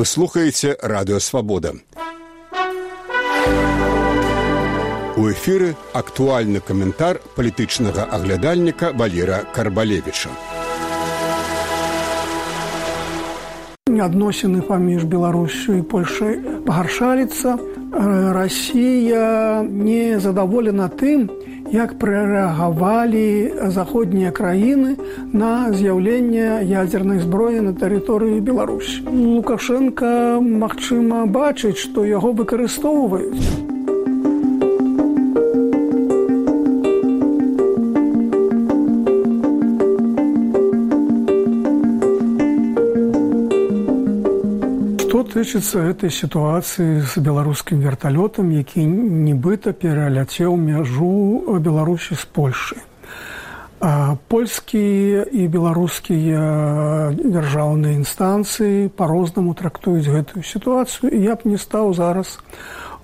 Вы слухаеце Радыё Свабода. У эфіры актуальны каментар палітычнага аглядальніка Валера Карбалевіча. Адносіны паміж Беларусью і Польшай пагаршаліцца. Расія не задаволена тым, як прарэагавалі заходнія краіны на з'яўленне ядзернай зброі на тэрыторыі Беларусі. Лукашенко, магчыма, бачыць, што яго выкарыстоўваюць. Тычыцца гэтай сітуацыі з беларускім верталётам, які нібыта пераляцеў мяжу Беларусі з Польшай. Польскія і беларускія дзяржаўныя інстанцыі па-рознаму трактуюць гэтую сітуацыю, і я б не стаў зараз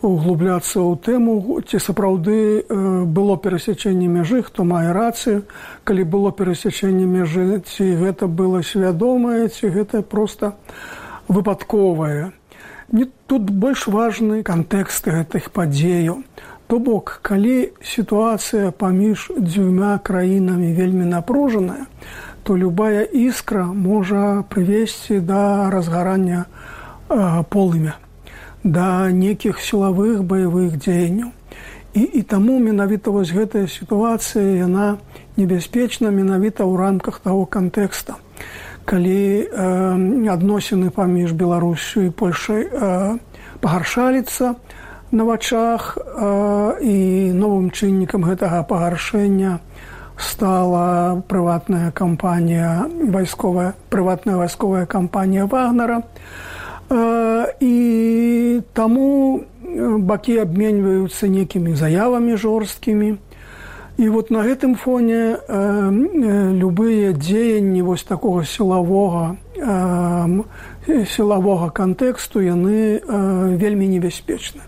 углубляцца ў тэму, ці сапраўды было перасячэнне мяжы, хто мае рацыю, калі было перасячэнне мяжы, ці гэта было свядомае, ці гэта проста выпадковае. Тут больш важны кантэкст гэтых падзеяў. То бок, калі сітуацыя паміж дзвюма краінамі вельмі напружаная, то любая іскра можа прывесці да разгарання полымя, да нейкіх сілавых баявых дзеянняў. І таму менавіта вось гэтая сітуацыя, яна небяспечна менавіта ў рамках таго кантэкста. Калі адносіны паміж Беларусю і Польшай пагаршаліцца на вачах, і новым чыннікам гэтага пагаршэння стала прыватная вайсковая кампанія Вагнера, і таму бакі абменьваюцца нейкімі заявамі жорсткімі. І вот на гэтым фоне любыя дзеянні вось такога сілавога кантэксту, яны вельмі небяспечны.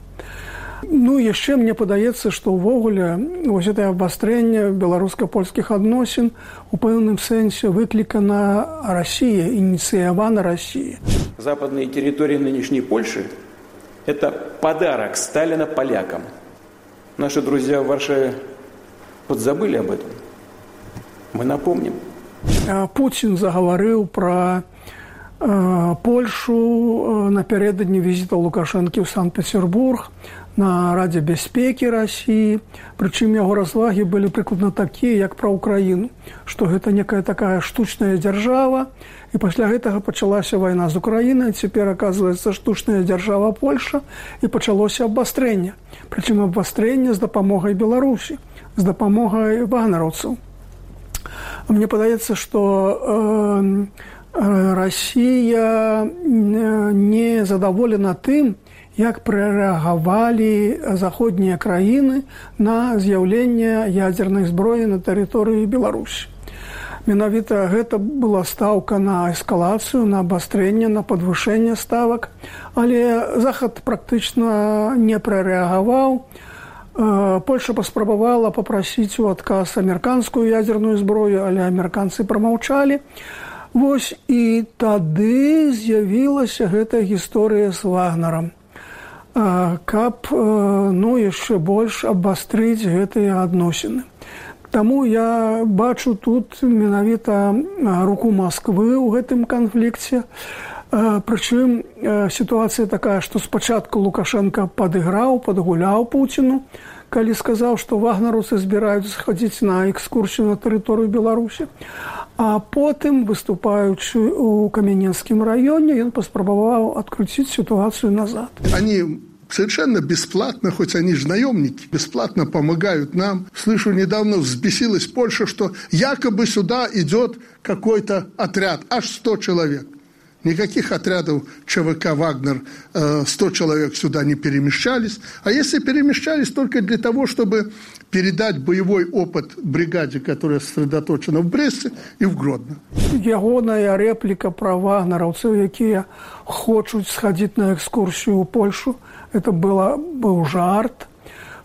Ну, яшчэ мне падаецца, што ўвогуле вось гэтае абвастрэнне беларуска-польскіх адносін у пэўным сэнсе выклікана Расіяй, ініцыявана Расіяй. Западные территории нынешней Польши – это подарок Сталина полякам. Наши друзья в Варшаве подзабыли об этом. Мы напомним. Путин заговорил про Польшу напярэдадні візіта Лукашэнкі ў Санкт-Петербург на Радзе бяспекі Расіі. Прычым яго развагі былі прыкладна такія, як пра Украіну, што гэта некая такая штучная дзяржава, і пасля гэтага пачалася вайна з Украінай, цяпер, аказваецца, штучная дзяржава Польша, і пачалося абвастрэнне. Прычым абвастрэнне з дапамогай Беларусі, з дапамогай вагнераўцаў. Мне падаецца, што Расія не задаволена тым, як прарэагавалі заходнія краіны на з'яўленне ядзернай зброі на тэрыторыі Беларусі. Менавіта гэта была стаўка на эскалацыю, на абвастрэнне, на падвышэнне ставак, але Захад практычна не прарэагаваў. Польша паспрабавала папрасіць у адказ амерыканскую ядзерную зброю, але амерыканцы прамаўчалі. Вось і тады з'явілася гэтая гісторыя з Вагнерам, каб яшчэ больш абвастрыць гэтыя адносіны. Таму я бачу тут менавіта руку Масквы ў гэтым канфлікце. Прычым сітуацыя такая, што спачатку Лукашенко падгуляў Пуціну, калі сказаў, што вагнераўцы збіраюцца схадзіць на экскурсію на тэрыторыю Беларусі. А потым, выступаючы ў Камененскім раёне, ён паспрабаваў адкруціць ситуацию назад. Они совершенно бесплатно, хоть они же наемники, бесплатно помогают нам. Слышу, недавно взбесилась Польша, что якобы сюда идет какой-то отряд, аж 100 человек. Никаких отрядов ЧВК «Вагнер» 100 человек сюда не перемещались. А если перемещались, только для того, чтобы передать боевой опыт бригаде, которая сосредоточена в Бресте и в Гродно. Ягоная реплика про вагнераўцаў, якія хочуць схадзіць на экскурсію ў Польшу, это быў жарт,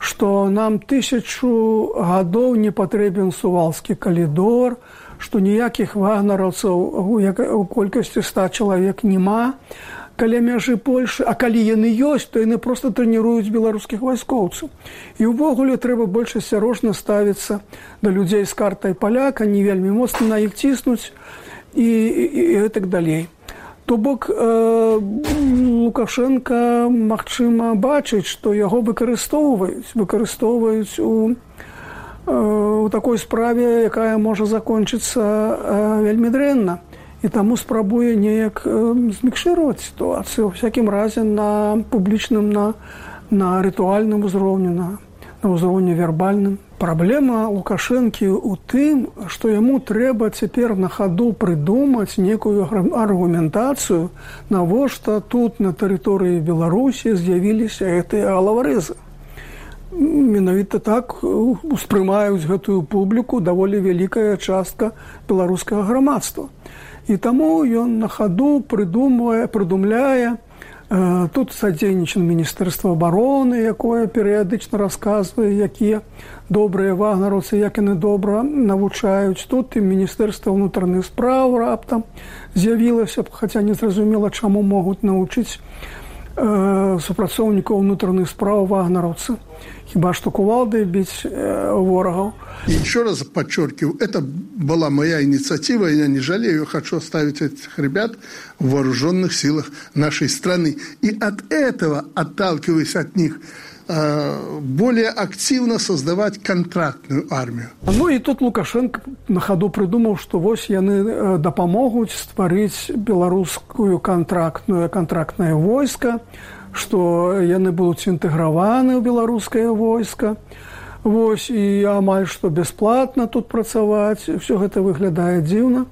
што нам 1000 гадоў не патрэбен Сувалскі калідор, што ніякіх вагнераўцаў у колькасці 100 чалавек няма. каля мяжы Польшы, а калі яны ёсць, то яны проста трэніруюць беларускіх вайскоўцаў. І ўвогуле трэба больш асцярожна ставіцца да людзей з картай паляка, не вельмі моцна на іх ціснуць і так далей. То бок Лукашенко, магчыма, бачыць, што яго выкарыстоўваюць у такой справе, якая можа закончыцца вельмі дрэнна. І таму спрабуе неяк змікшыраваць сітуацыю, у всякім разе на публічным, на рытуальным узроўні, на ўзроўні вербальным. Праблема Лукашэнкі ў тым, што яму трэба цяпер на хаду прыдумаць некую аргументацыю, навошта тут на тэрыторыі Беларусі з'явіліся гэтыя галаварэзы. Менавіта так успрымаюць гэтую публіку даволі вялікая частка беларускага грамадства. І таму ён на хаду прыдумляе. Тут садзейнічае Міністэрства абароны, якое перыядычна расказвае, якія добрыя вагнераўцы, як яны добра навучаюць. Тут і Міністэрства ўнутраных спраў раптам з'явілася, хаця незразумела, чаму могуць навучыць супрацоўнікаў ўнутраных спраў вагнераўцы. Хіба што кувалдай біць ворагаў. И еще раз подчеркиваю, это была моя инициатива, я не жалею, хочу оставить этих ребят в вооруженных силах нашей страны. И от этого, отталкиваясь от них, более активно создавать контрактную армию. Ну и тут Лукашенко на ходу придумал, что вось яны дапамогуць стварыць беларускую контрактное войско, что яны будуць інтэграваны ў беларускае войска. Вось, і амаль што бясплатна тут працаваць. Все гэта выглядае дзіўна,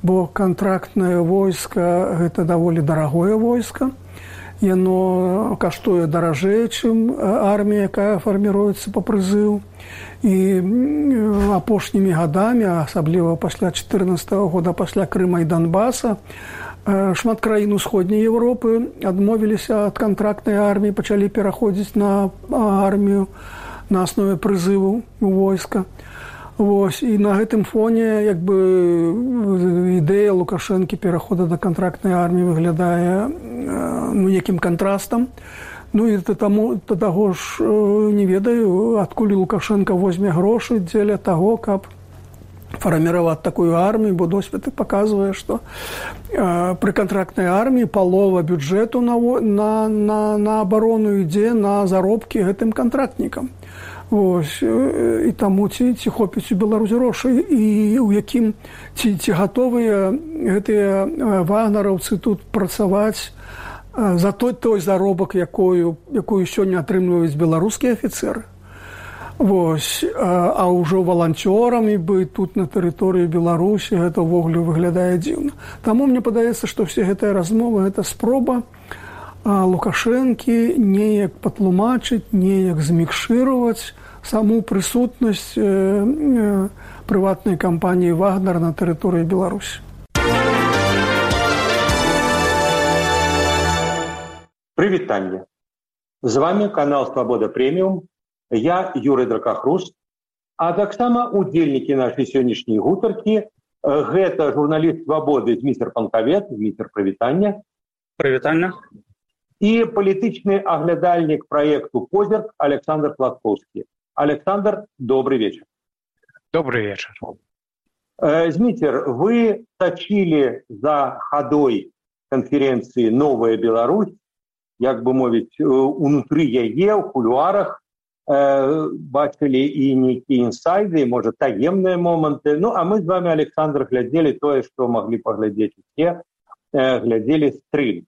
бо контрактнае войска – гэта даволі дарагое войска. Яно каштуе даражэй, чым армія, якая фарміруецца па прызыву. І апошнімі гадамі, асабліва пасля 2014 года, пасля Крыма і Донбаса, шмат краін усходняй Еўропы адмовіліся ад контрактнай арміі, пачалі пераходзіць на армію на аснове прызыву войска. Вось, і на гэтым фоне як бы ідэя Лукашэнкі перахода да контрактнай арміі выглядае некім кантрастам. Ну і да таго ж не ведаю, адкуль Лукашенко возьме грошы дзеля таго, каб фарміраваць такую армію, бо досвед паказвае, што пры контрактнай арміі палова бюджэту на абарону ідзе на заробкі гэтым контрактнікам. Ось, і таму ці хопіць у Беларусь грошай, і ў якім ці гатовыя гэтыя вагнераўцы тут працаваць за той заробак, якую сёння атрымліваюць беларускія афіцэры. Вось, а ўжо валанцёрамі быць тут на тэрыторыі Беларусі, гэта ўвогуле выглядае дзіўна. Таму мне падаецца, што все гэтыя размовы – гэта спроба Лукашэнкі неяк патлумачыць, неяк змікшыраваць саму прысутнасць прыватнай кампаніі «Вагнер» на тэрыторыі Беларусі. Прывітанне. З вами канал «Свабода Прэміум». Я Юрый Дракахрус, а таксама удзельнікі нашай сённяшняй гутаркі гэта журналіст «Свабоды» Зміцер Панкавец. Зміцер, прывітанне. Прывітанне. І палітычны аглядальнік праекту «Позірк» Александр Пласкоўскі. Александр, добрый вечер. Добрый вечер. Зміцер, вы сачылі за хадой канферэнцыі «Новая Беларусь», як бы мовіць, унутры яе, ў кулуарах, бачылі і нейкія інсайды, можа, таемныя моманты. Ну, а мы з вами, Александр, глядзелі тое, што маглі паглядзець усе, глядзелі стрым.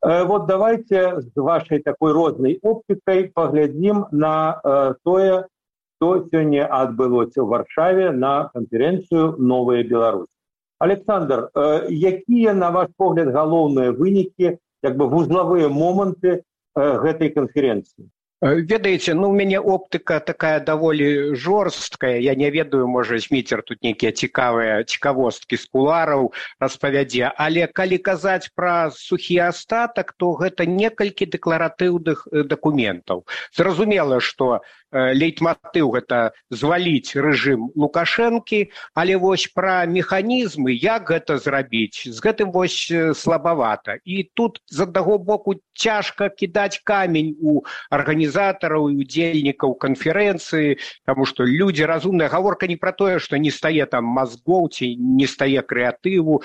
Вот давайте з вашай такой рознай оптыкай паглядзім на тое, што сёння адбылося ў Варшаве на канферэнцыю «Новая Беларусь». Александр, якія, на ваш погляд, галоўныя вынікі, як бы вузлавыя моманты гэтай канферэнцыі? Ведаеце, у мяне оптыка такая даволі жорсткая. Я не ведаю, можа, Зміцер тут нейкія цікавосткі з кулараў распавядзе. Але калі казаць пра сухі астатак, то гэта некалькі дэкларатыўных дакументаў. Зразумела, што лейтматыў гэта зваліць рэжым Лукашэнкі, але вось пра механізмы, як гэта зрабіць, з гэтым вось слабавата. І тут з аднаго боку цяжка кідаць камень у арганізатараў і удзельнікаў канферэнцыі, таму што людзі разумныя, гаворка не пра тое, што не стае там мазгоў ці не стае крэатыву.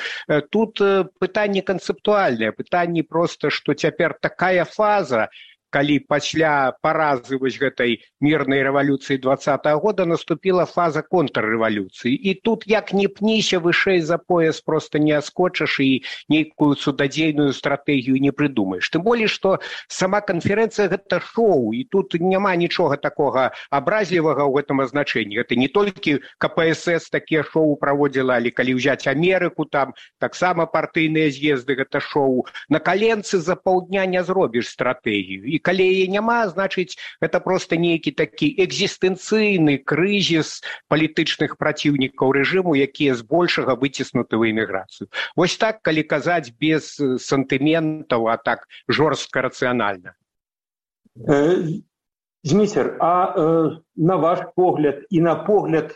Тут пытанне канцэптуальнае, пытанне проста, што цяпер такая фаза, калі пасля паразы вось гэтай мірнай рэвалюцыі 20-го года наступіла фаза контррэвалюцыі. І тут як не пніся вышэй за пояс, проста не аскочыш і нейкую цудадзейную стратэгію не прыдумаеш. Тым болей, што сама канферэнцыя гэта шоу, і тут няма нічога такога абразлівага ў гэтым азначэнні. Гэта не толькі КПСС такія шоу праводзіла, але калі ўзяць Амерыку, там таксама партыйныя з'езды гэта шоу. На каленцы за паўдня не зробіш стратэгію. І калі яе няма, значыць, гэта проста нейкі такі экзістэнцыйны крызіс палітычных праціўнікаў рэжыму, якія збольшага выціснуты ў эміграцыю. Вось так, калі казаць без сантыментаў, а так жорстка рацыянальна. Зміцер, а на ваш погляд і на погляд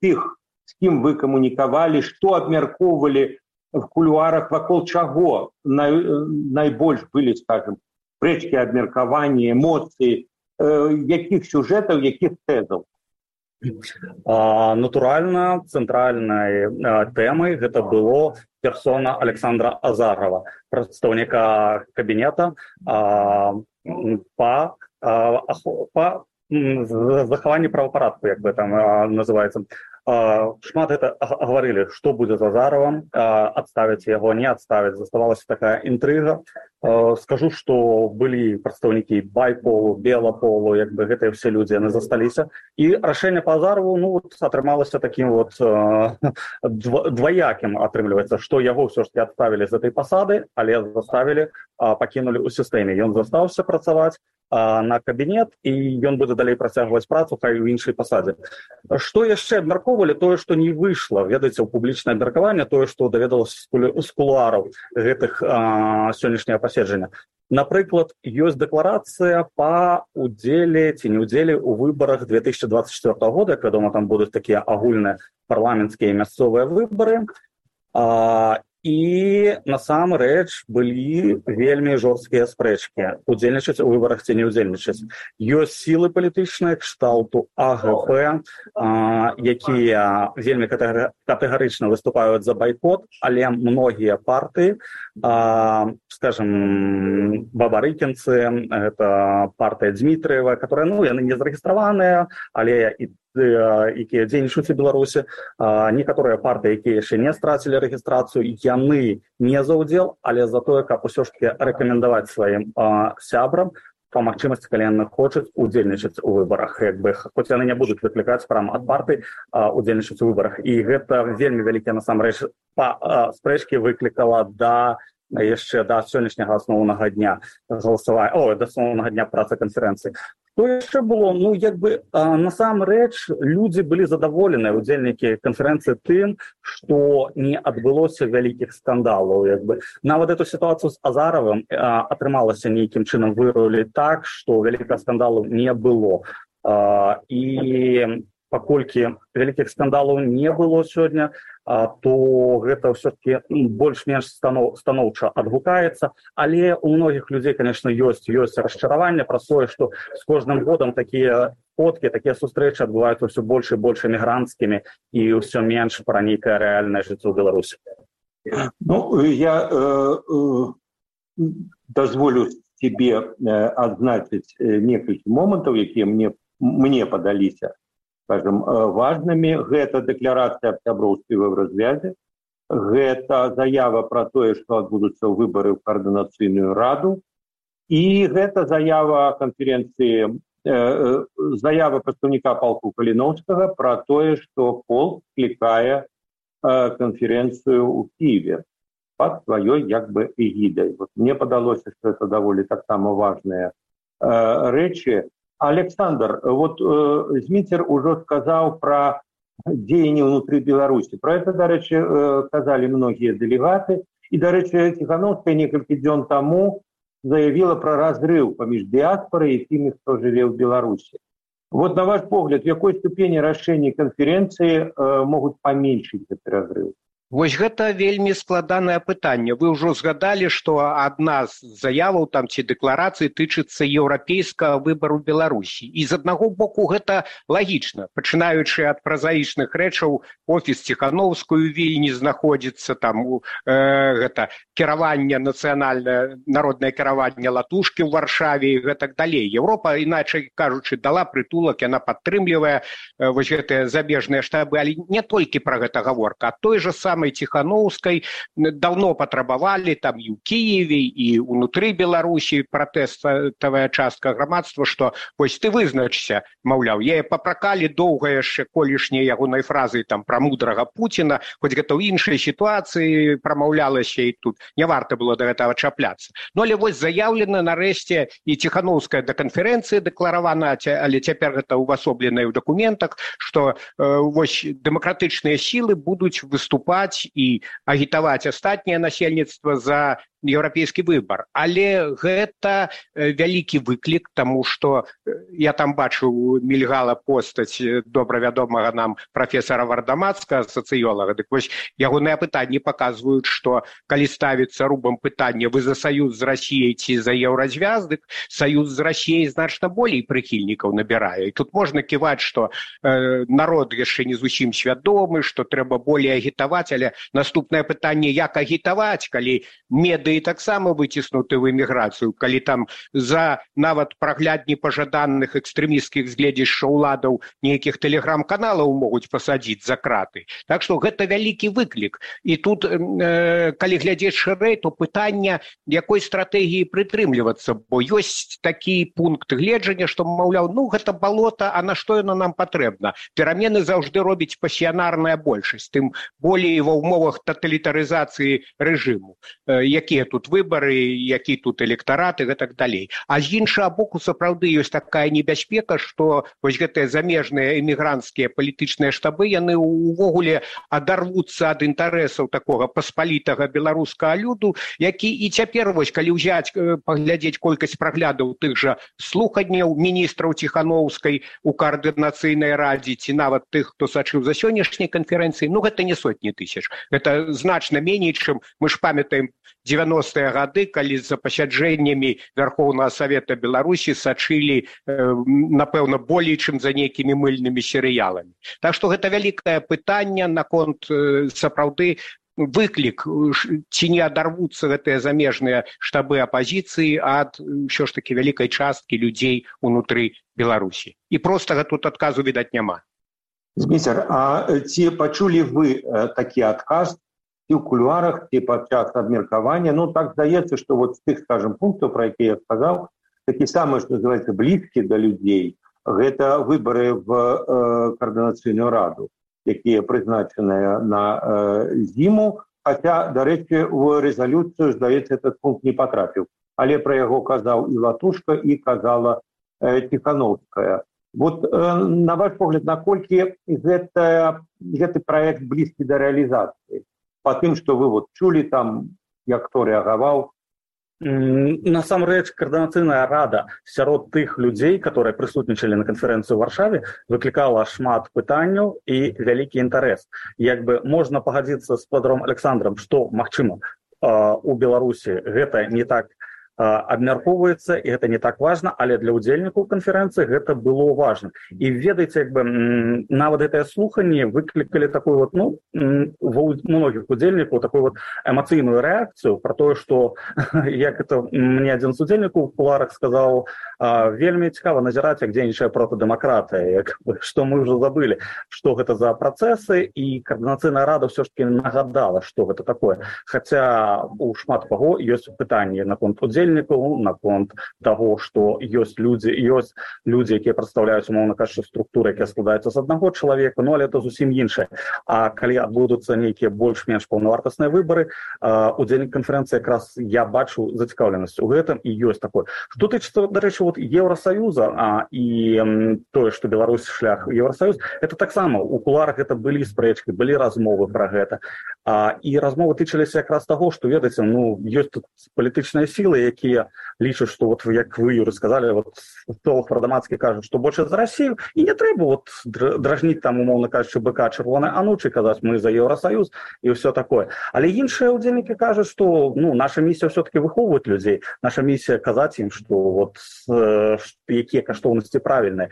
тых, з кім вы камунікавалі, што абмяркоўвалі в кулуарах, вакол чаго найбольш былі, скажем, спрэчкі, абмеркаванні, эмоцыі, якіх сюжэтаў, якіх тэзаў? Натуральна, цэнтральнай тэмай гэта было персона Александра Азарова, прадстаўніка кабінета па захаванні правапарадку, як бы там называецца. Шмат гэта гаварылі, што будзе з Азаровым, адставіць яго, не адставіць, заставалася такая інтрыга. Скажу, што былі прадстаўнікі байполу, белаполу, як бы гэтыя ўсе людзі, яны засталіся. І рашэнне па Азарову, атрымалася такім дваякім, атрымліваецца, што яго ўсё ж таки адставілі з гэтай пасады, але заставілі, пакінулі ў сістэме. Ён застаўся працаваць на кабінет, і ён будзе далей працягваць працу, хай у іншай пасадзе. Што яшчэ абмяркоўвалі? Тое, што не выйшла, ведаеце, у публічнае абмеркаванне, тое, што даведалася з кулуараў гэтых сённяшняга паседжання. Напрыклад, ёсць дэкларацыя па удзеле ці не ўдзеле ў выбарах 2024 года, як вядома, там будуць такія агульныя парламенцкія і мясцовыя выбары. І насамрэч былі вельмі жорсткія спрэчкі, удзельнічаць у выбарах ці не ўдзельнічаць. Ёсць сілы палітычныя кшталту АГП, якія вельмі катэгарычна выступаюць за байкот, але многія партыі, скажем, бабарыкінцы, гэта партыя Дзмітрыева, которая, яны не зарэгістраваныя, але і якія дзейнічаюць у Беларусі, некаторыя партыі, якія яшчэ не страцілі рэгістрацыю, яны не за ўдзел, але за тое, каб усё ж таки рэкамендаваць сваім сябрам па магчымасці, калі яны хочуць удзельнічаць у выбарах, як бы, хоць яны не будуць выклікаць прямо ад партый удзельнічаць у выбарах. І гэта вельмі вялікія насамрэч спрэчкі выклікала яшчэ да сённяшняга асноўнага дня галасавання, да асноўнага дня працы канферэнцыі. Што яшчэ было? Як бы насамрэч людзі былі задаволеныя, удзельнікі канферэнцыі, тым, што не адбылося вялікіх скандалаў. Як бы. Нават эту сітуацыю з Азаровым атрымалася нейкім чынам выруліць так, што вялікага скандалу не было. І паколькі вялікіх скандалаў не было сёння, то гэта ўсё-таки больш-менш станоўча адгукаецца, але у многіх людзей, конечно, ёсць расчараванне пра тое, што з кожным годам такія фоткі, такія сустрэчы адбываюцца ўсё больш і больш эмігранцкімі і ўсё менш пра нейкае рэальнае жыццё ў Беларусі. Я дазволю себе адзначыць некалькі момантаў, якія мне падаліся, скажем, важнымі. Гэта дэкларацыя аб сяброўстве ва развязе, гэта заява пра тое, што адбудуцца выбары ў каардынацыйную раду, і гэта заява канферэнцыі, заява прадстаўніка палку Каліноўскага пра тое, што полк склікае канферэнцыю ў Кіеве пад сваёй як бы эгідай. Мне падалося, што это даволі таксама важныя рэчы. Александр, Зміцер ужо сказаў пра дзеянні ўнутры Беларусі. Пра это, дарэчы, казалі многія дэлегаты. І, дарэчы, Ціхановская некалькі дзён таму заявіла пра разрыў паміж дыяспорай і тымі, хто жыве ў Беларусі. Вот на ваш погляд, в какой ступени решения конференции могут поменьшить этот разрыв? Вось гэта вельмі складанае пытанне. Вы ўжо згадалі, што адна з заяваў там ці дэкларацый тычыцца еўрапейскага выбару Беларусі. І з аднаго боку гэта лагічна. Пачынаючы ад празаічных рэчаў, офіс Ціхановскую Вільні знаходзіцца, там гэта кіраванне нацыянальнае, народнае кіраванне Латушкі ў Варшаве і гэтак далей. Еўропа, іначай кажучы, дала прытулак, яна падтрымлівае вось гэтыя замежныя штабы, але не толькі пра гэта гаворка, а той жа самой Тихановской давно патрабавалі там і ў Киеве, і ўнутры Беларусі пратэставая частка грамадства, што вось ты вызначся, маўляў, яе папракалі доўга яшчэ колішняй ягонай фразы там пра мудрага Пуціна, хоць гэта ў іншай сітуацыі прамаўлялася, і тут не варта было да гэтага чапляцца. Ну але вось заяўлена нарэшце і Тихановская да канферэнцыі дэкларавана, але цяпер гэта ўвасобленае ў дакументах, што вось дэмакратычныя сілы будуць выступаць і агітаваць астатняе насельніцтва за еўрапейскі выбар. Але гэта вялікі выклік, таму што я там бачыў, мільгала постаць добра вядомага нам прафесара Вардамацкага, сацыёлага. Дык вось ягоныя пытанні паказваюць, што калі ставіцца рубам пытання, вы за саюз з Расіяй ці за еўразвяз, дык саюз з Расіяй значна болей прыхільнікаў набірае. І тут можна ківаць, што народ яшчэ не зусім свядомы, што трэба болей агітаваць, але наступнае пытанне, як агітаваць, калі медыі таксама выціснуты ў эміграцыю, калі там за нават прагляд непажаданых экстрэмісцкіх згледзішчаў уладаў нейкіх тэлеграм-каналаў могуць пасадзіць за краты. Так што гэта вялікі выклік. І тут, калі глядзець шырэй, то пытанне, якой стратэгіі прытрымлівацца, бо ёсць такі пункт гледжання, што, маўляў, ну гэта балота, а на што яно нам патрэбна? Перамены заўжды робіць пасіянарная большасць, тым болей ва ўмовах таталітарызацыі рэжыму. Якія тут выбары, які тут электарат і гэтак далей. А з іншага боку, сапраўды ёсць такая небяспека, што вось гэтыя замежныя эмігранцкія палітычныя штабы, яны ўвогуле адарвуцца ад інтарэсаў такога паспалітага беларускага люду, які і цяпер, вось калі ўзяць, паглядзець колькасць праглядаў тых жа слуханняў міністраў Ціхановскай у каардынацыйнай радзе, ці нават тых, хто сачыў за сённяшняй канферэнцыі, ну гэта не сотні тысяч. Гэта значна меней, чым мы ж памятаем 90-е гады, калі за пасяджэннямі Вярхоўнага Савета Беларусі сачылі, напэўна, болей, чым за нейкімі мыльнымі серыяламі. Так што гэта вялікае пытанне наконт сапраўды выклік, ці не адарвуцца гэтыя замежныя штабы апазіцыі ад ўсё ж такі вялікай часткі людзей унутры Беларусі. І простага тут адказу, відаць, няма. Зміцер, а ці пачулі вы такі адказ ці ў кулуарах, ці падчас абмеркавання? Ну, так здаецца, што вот з тых, скажем, пунктаў, пра якія я сказаў, такі самы, што называецца, блізкі да людзей, гэта выбары в каардынацыйную раду, якія прызначаныя на зіму, хаця, дарэчы, у рэзалюцыю, здаецца, этот пункт не патрапіў. Але пра яго казаў і Латушка, і казала Тихановская. Вот на ваш погляд, наколькі гэты праект блізкі да рэалізацыі? По тым, што вы вот чулі там, як хто рэагаваў? Насамрэч, каардынацыйная рада сярод тых людзей, которые прысутнічалі на канферэнцыі ў Варшаве, выклікала шмат пытанняў і вялікі інтарэс. Як бы можна пагадзіцца з Фёдором Александром, што, магчыма, у Беларусі гэта не так абмяркоўваецца, і гэта не так важна, але для ўдзельнікаў канферэнцыі гэта было важна. І ведаеце, як бы нават гэтае слуханне выклікалі такую вот, ну, у многіх удзельнікаў такую вот эмацыйную рэакцыю пра тое, што, як это мне адзін з удзельнікаў у кулуарах сказаў, вельмі цікава назіраць, як дзейнічае протадэмакратыя, як бы, што мы ўжо забылі, што гэта за працэсы, і каардынацыйная рада ўсё ж таки нагадала, што гэта такое. Хаця у шмат каго ёсць пытанні наконт удзельнікаў, наконт таго, што ёсць людзі, якія прадстаўляюць, умоўна кажучы, структуры, якія складаюцца з аднаго чалавека, ну, але это зусім іншае. А калі адбудуцца нейкія больш-менш паўнавартасныя выбары, удзельнік канферэнцыі якраз я бачу зацікаўленасць у гэтым, і ёсць такое. Што тычыцца, дарэчы, вот Еўрасаюза і тое, што Беларусь шлях Еўрасаюз, это таксама у кулуарах гэта былі спрэчкі, былі размовы пра гэта. І размовы тычыліся якраз таго, што, ведаеце, ёсць тут палітычныя сілы, якія лічаць, што, як вы, Юрый, сказалі, Толах Радамацкі кажа, што больш за Расію, і не трэба дражніць там, умоўна кажучы, быка чырвонай анучы, казаць, мы за Еўрасаюз і ўсё такое. Але іншыя ўдзельнікі кажуць, што наша місія ўсё-таки выхоўваць людзей, наша місія казаць ім, што якія каштоўнасці правільныя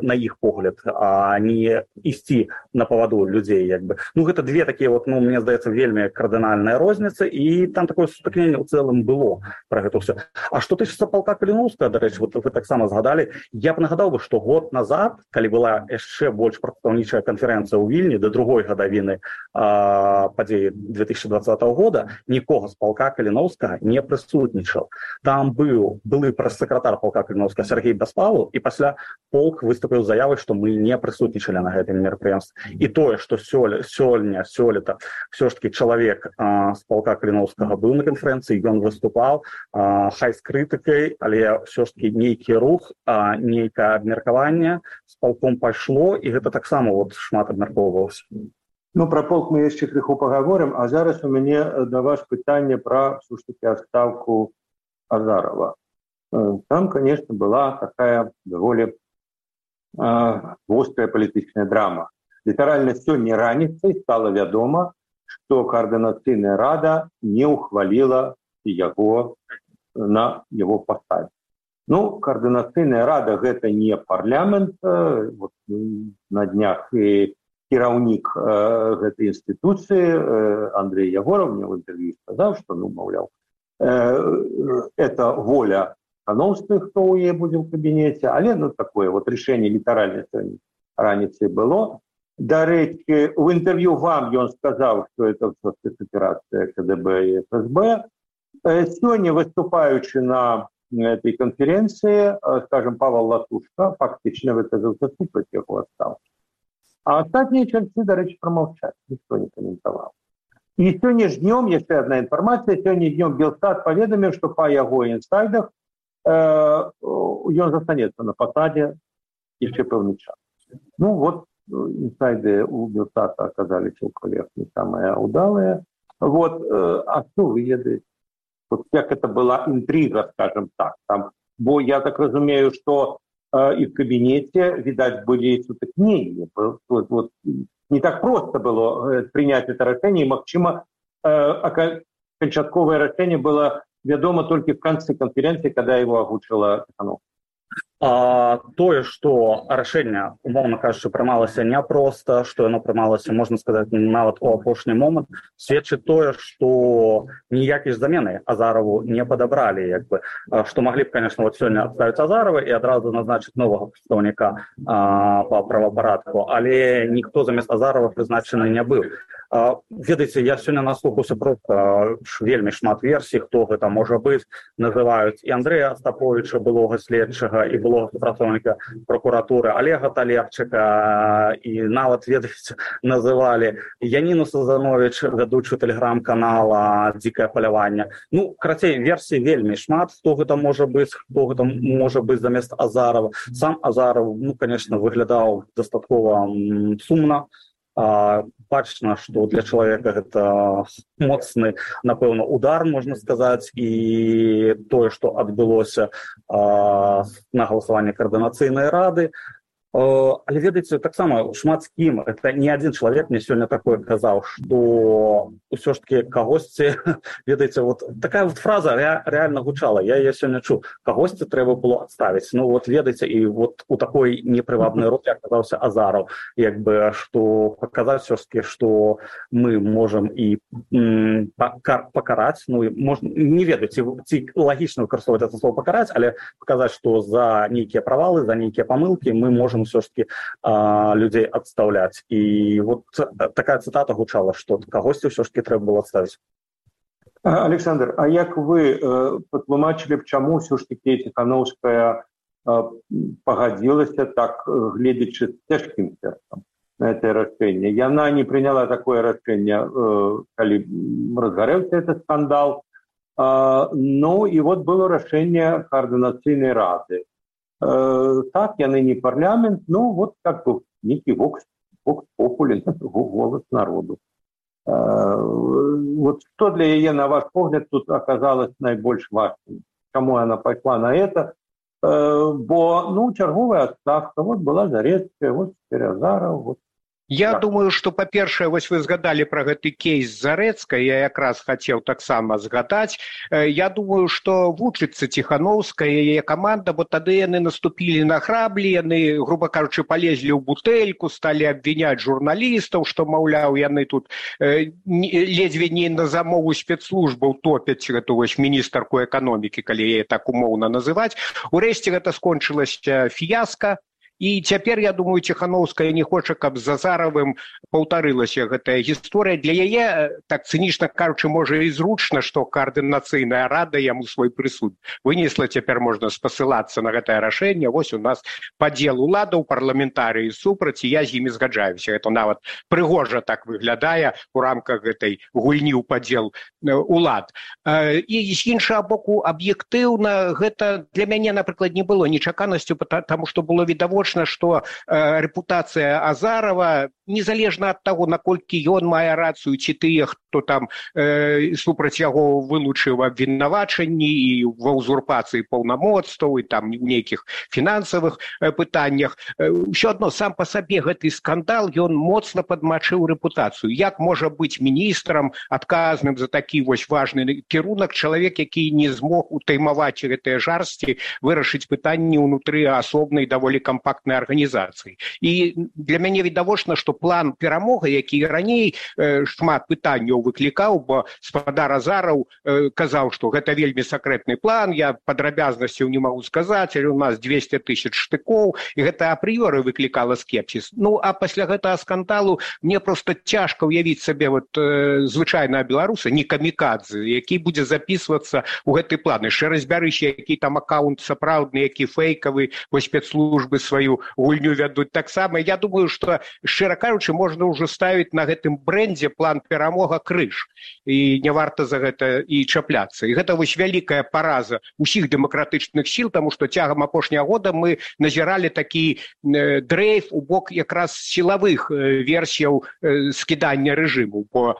на іх погляд, а не ісці на паваду людзей. Гэта две такія, мне здаецца, вельмі кардынальныя розніцы, і там такое сутыкненне ў цэлым было пра гэта ўсё. А што тычыцца палка Каліноўскага, дарэчы, вы таксама згадалі, я б нагадаў бы, што год назад, калі была яшчэ больш прадстаўнічая канферэнцыя ў Вільні да другой гадавіны падзеі 2020 года, нікога з палка Каліноўскага не прысутнічаў. Там быў былы прэс-сакратар палка Каліноўскага Сергей Бяспалаў, і пасля полк выступіў з заявай, што мы не прысутнічалі на гэтым мерапрыемстве. І тое, што сёлета все ж таки чалавек з палка Каліноўскага быў на канферэнцыі, ён выступаў, хай з крытыкай, але все ж таки нейкі рух, нейкае абмеркаванне з палком пайшло, і гэта таксама шмат абмяркоўвалася. Пра полк мы яшчэ крыху пагаворым, а зараз у мяне да вас пытанне пра все ж таки адстаўку Азарова. Там, конечно, была такая даволі вострая палітычная драма. Літаральна сёння раніцай стала вядома, што Координацыйная рада не ухваліла яго на яго пасадзе. Координацыйная рада гэта не парламент. На днях кіраўнік гэтай інстытуцыі Андрей Ягоров мне в інтэрв'ю сказаў, што, маўляў, это воля Кановскіх, хто ў яе будзе ў кабінеце, але такое рашэнне літаральна сёння раніцай было. Дарэчы, в інтэрв'ю вам ён сказаў, што это ўсё спецаперацыя КДБ і ФСБ. Сёння, выступаючы на этой конференции, скажем, Павел Латушка фактично выказался супраць яго адстаўкі. А астатнія чальцы, дарэчы, промаўчаць, ніхто не каментаваў. І сёння ж днём, яшчэ адна інфармацыя, сёння днём Белстат паведаміў, што па яго інсайдах ён застанецца на пасадзе яшчэ пэўны час. Инсайды у Белстата оказались у коллег не самые удалые. А что вы ведаете? Как это была интрига, скажем так. Бо я так разумею, что и в кабинете, видать, были сутыкнения. Не так просто было принять это решение. И, магчыма, канчатковое решение было ведомо только в конце конференции, когда его агучила Тихановская. Тое, што рашэнне, умоўна кажучы, прымалася няпроста, што яно прымалася, можна сказаць, нават у апошні момант, сведчыць тое, што ніякай замены Азарову не падабралі, што маглі б, конечно, сёння адставіць Азарова і адразу назначыць новага прадстаўніка па правапарадку, але ніхто замест Азарова прызначаны не быў. Ведаеце, я сёння наслухаўся проста вельмі шмат версій, хто гэта можа быць, называюць і Андрэя Астаповіча, былога следчага, і былога супрацоўніка прокуратуры Олега Талерчыка, і нават, ведаеце, называлі Яніну Сазанович, вядучую тэлеграм-канала «Дзікае паляванне». Карацей, версій вельмі шмат, хто гэта можа быць, хто гэта можа быць замест Азарова. Сам Азаров, конечно, выглядаў дастаткова сумна. Бачна, што для чалавека гэта моцны, напэўна, удар, можна сказаць, і тое, што адбылося на галасаванні Координацыйнай рады. Але, ведаеце, таксама шмат з кім, это не адзін чалавек мне сёння такое казаў, што ўсё ж таки кагосьці, ведаеце, такая фраза реально гучала, я яе сёння чуў, кагосьці трэба было адставіць. Ведаеце, і у такой непрывабнай ролі аказаўся Азаров, што паказаць все ж таки, што мы можам і пакараць, не ведаю, ці лагічна выкарыстоўваць это слово пакараць, але паказаць, што за нейкія правалы, за нейкія памылкі мы можам все ж таки людей отставлять. И такая цитата гучала, что кагосьці все ж таки трэба было отставить. Александр, а як вы патлумачылі б, чаму все ж таки Тихановская пагадзілася так, гледзячы з цяжкім сэрцам на это рашэнне? Яна не приняла такое рашэнне, калі разгарэўся этот скандал. И было рашэнне Координацыйнай рады. Так, яны не парламент, некий вокс попули, голос народу. Вот что для яе, на ваш погляд, тут оказалось найбольш важным? Чаму она пошла на это? Бо, чарговая отставка, вот была Зарецкая, вот теперь Азаров, вот. Я думаю, што, па-першае, вось вы згадалі пра гэты кейс Зарэцкай, я якраз хацеў таксама згадаць. Я думаю, што вучыцца Ціхановская, яе каманда, бо тады яны наступілі на граблі, яны, груба кажучы, палезлі ў бутэльку, сталі абвіняць журналістаў, што, маўляў, яны тут ледзьве не на замову спецслужбаў топяць гэту вось міністарку эканомікі, калі яе так умоўна называць. Урэшце гэта скончылася фіяска. І цяпер, я думаю, Ціхановская не хоча, каб з Азаровым паўтарылася гэтая гісторыя. Для яе, так цынічна кажучы, можа і зручна, што каардынацыйная рада яму свой прысуд вынесла. Цяпер можна спасылацца на гэтае рашэнне. Вось у нас падзел уладаў, парламентарыі супраць, і я з імі згаджаюся. Гэта нават прыгожа так выглядае у рамках гэтай гульні ў падзел улад. І з іншага боку, аб'ектыўна, гэта для мяне, напрыклад, не было нечаканасцю, таму што было відавочна, што рэпутацыя Азарова, незалежна ад таго, наколькі ён мае рацыю, ці тыя, хто там супраць яго вылучыў абвінавачанні і ва ўзурпацыі паўнамоцтваў, і там у нейкіх фінансавых пытаннях, ўсё адно сам па сабе гэты скандал, ён моцна падмачыў рэпутацыю. Як можа быць міністрам, адказным за такі вось важны кірунак, чалавек, які не змог утаймаваць гэтыя жарсці, вырашыць пытанні ўнутры асобнай даволі кампактнай арганізацыі. І для мяне відавочна, што план перамоги, які раней шмат пытанняў выклікаў, бо спадар Азаров казаў, што гэта вельмі сакрэтны план, я падрабязнасцяў не магу сказаць, але у нас 200 000 штыкоў, і гэта апрыёры выклікала скепсіс. А пасля гэтага скандалу мне проста цяжка ўявіць сабе звычайнага беларуса, не камікадзе, які будзе запісвацца ў гэты план. Яшчэ разбярыся, які там аккаунт сапраўдны, які фейкавы, бо спецслужбы сваю гульню вядуць таксама. Я думаю, што, шчыра кажучы, можна ўжо ставіць на гэтым брэндзе план перамога крыж. І не варта за гэта і чапляцца. І гэта вось вялікая параза ўсіх дэмакратычных сіл, таму што цягам апошняга года мы назіралі такі дрейф у бок якраз сілавых версіяў скідання рэжыму, бо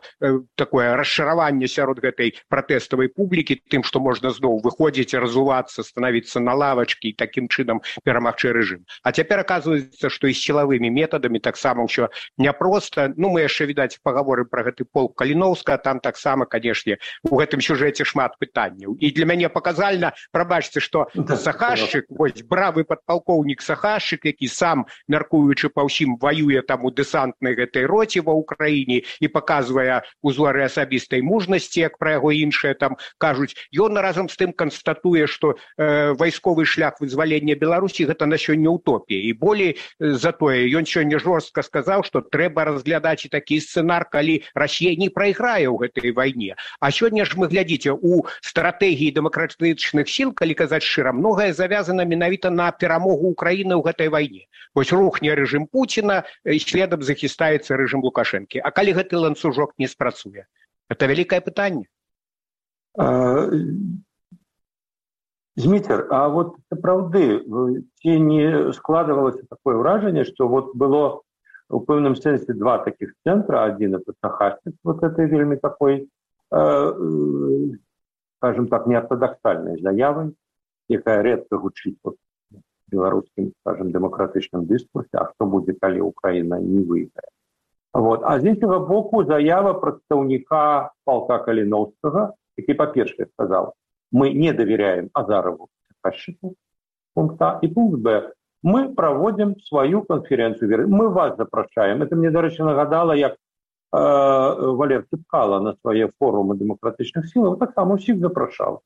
такое расчараванне сярод гэтай пратэставай публікі тым, што можна зноў выходзіць, разувацца, станавіцца на лавачкі і такім чынам перамагчы рэжым. А цяпер аказваецца, што і з сілавымі метадамі таксама ўсё няпроста. Мы яшчэ, відаць, пагаворым пра гэты полк Каліноўска, там таксама, канешне, у гэтым сюжэце шмат пытанняў. І для мяне паказальна, прабачце, што Сахашчык, вось бравы падпалкоўнік Сахашчык, які сам, мяркуючы па ўсім, ваюе там у дэсантнай гэтай роце ва ўкраіне і паказвае узоры асабістай мужнасці, як пра яго іншыя там кажуць, ён разам з тым канстатуе, што вайсковы шлях вызвалення Беларусі гэта на сёння утопія. І болей за тое, ён сёння жорстка сказаў, што трэба разглядаць і такі сцэнар, калі Расія не прайграе ў гэтай вайне. А сёння ж мы, глядзіце, у стратэгіі дэмакратычных сіл, калі казаць шчыра, многае завязана менавіта на перамогу Украіны ў гэтай вайне. Вось рухне рэжым Пуціна, і следам захістаецца рэжым Лукашэнкі. А калі гэты ланцужок не спрацуе? Гэта вялікае пытанне. Зміцер, а вот сапраўды, ці не складывалася такое ўражанне, што вот было у пэўным сэнсе два таких центра. Один это Сахашчык, вот этой вельмі такой, скажем так, неортодоксальной заявой, якая редко гучыць в беларускім, скажем, дэмакратычным дыскурсе, а што будзе, калі Украіна не выйграе. Вот. А з іншага боку заява прадстаўніка полка Каліноўскага, які, па-першае, сказаў, мы не доверяем Азарову Сахашчыку, пункт А, и пункт Б. Мы проводим свою конференцию. Мы вас запрашаем. Это мне, до речі, нагадало, як Валер Цепкало на свои форумы демократичных сил. Вот так само всех запрашал.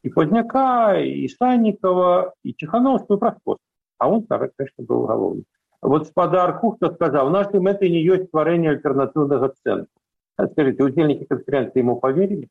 И Поздняка, и Санникова, и Тихановскую, и Проскоску. А он, конечно, был головным. Вот спадар Кухта сказал, нашей мэтой не есть творение альтернативного центра. Скажите, удельники конференции ему поверили?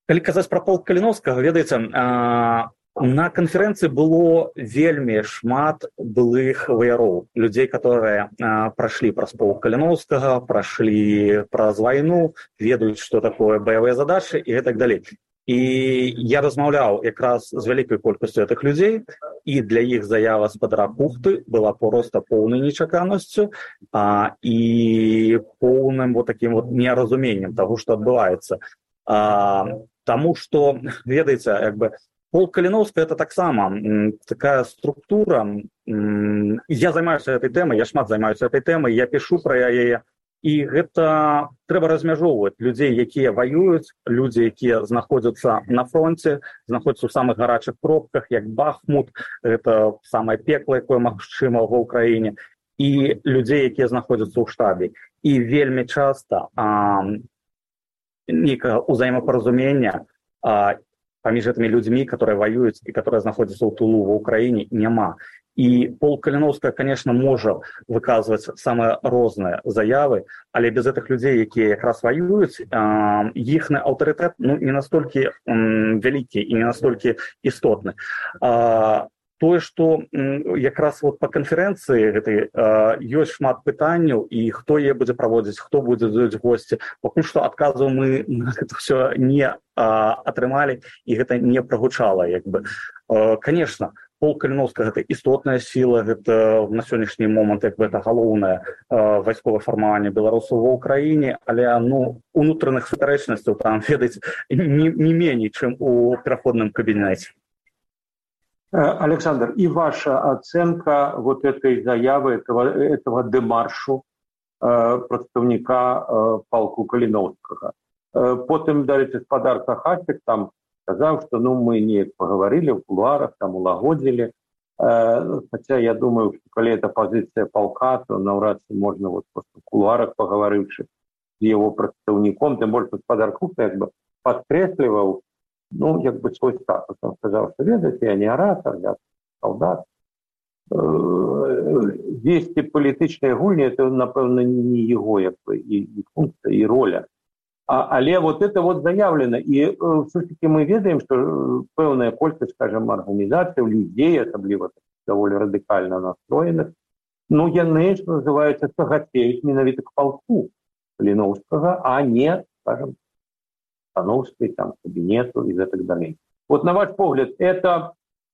Калі казаць пра полк Каліноўскага, ведаеце, на канферэнцыі было вельмі шмат былых ваяроў, людзей, которые прайшлі праз полк Каліноўскага, прайшлі праз вайну, ведаюць, што такое баявыя задачы і гэтак далей. І я размаўляў якраз з вялікай колькасцю гэтых людзей, і для іх заява спадара Кухты была проста поўнай нечаканасцю і поўным такім неразуменнем таго, што адбываецца. Таму што, ведаеце, полк Каліноўска — это таксама такая структура. Я займаюся гэтай тэмай, я шмат займаюся гэтай тэмай, я пішу пра яе. І гэта трэба размяжоўваць людзей, якія ваююць, людзі, якія знаходзяцца на фронце, знаходзяцца ў самых гарачых пробках, як Бахмут, гэта самае пекла, якое магчыма ва ўкраіне, і людзей, якія знаходзяцца ў штабе. І вельмі часта нейкага ўзаемапаразумення паміж гэтымі людзьмі, которые ваююць і которые знаходзяцца ў тылу ва ўкраіне, няма. І полк Каліноўска, конечно, можа выказваць самыя розныя заявы, але без гэтых людзей, якія якраз ваююць, іхны аўтарытэт не настолькі вялікі і не настолькі істотны. Тое, што якраз па канферэнцыі гэтай ёсць шмат пытанняў, і хто яе будзе праводзіць, хто будзе даць госці. Пакуль што адказаў мы на гэта ўсё не атрымалі, і гэта не прагучала. Конечно, полк Каліноўска — гэта істотная сіла, гэта на сённяшні момант гэта галоўнае вайсковае фармаванне беларусаў ва ўкраіне, але унутраных супярэчнасцяў там, ведаеце, не меней, чым у пераходным кабінеце. Александр, и ваша оценка этой заявы, этого демаршу представника полку Каліноўскага. Потым, дарэчы, спадар Сахасік там сказал, что мы не поговорили в кулуарах, там улагодили. Хотя я думаю, что коли это позиция полка, то навряд ли можно просто в кулуарах, поговоривши с его представником, тем более спадар Кухта подкресливал свой статус. Он сказал, что ведаете, я не оратор, я солдат. Вести політичної гульні – це, напевно, не його і функція, і роля. Але это заявлено. І все-таки ми ведаємо, що певна кількість, скажімо, організацій, людей, особливо доволі радикально настроєних, яны, що називається, тяготеють менавіта к полку Каліноўскага, а не, скажімо, Становской, там, кабинету и так далее. На ваш погляд, это,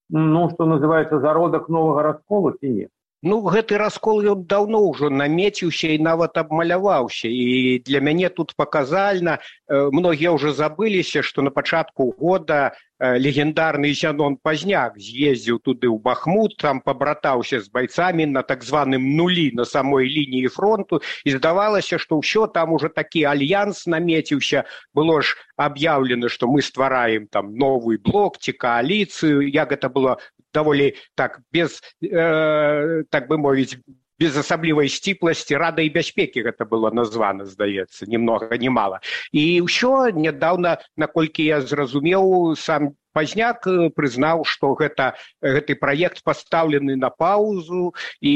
что называется, зародок нового раскола или нет? Гэты раскол ён даўно ўжо намеціўся і нават абмаляваўся. І для мяне тут паказальна, многія ўжо забыліся, што на пачатку года легендарны Зянон Пазняк з'ездзіў туды ў Бахмут, там пабратаўся з байцамі на так званым нулі на самой лініі фронту, і здавалася, што ўсё там уже такі альянс намеціўся. Было ж аб'яўлена, што мы ствараем там новый блок ці кааліцыю, як гэта было даволі так, без, так бы мовіць, без асаблівай сціпласці, Рада і бяспекі гэта было названа, здаецца, ні многа, ні мала. І ўсё нядаўна, наколькі я зразумеў, сам Пазняк прызнаў, што гэты праект пастаўлены на паўзу, і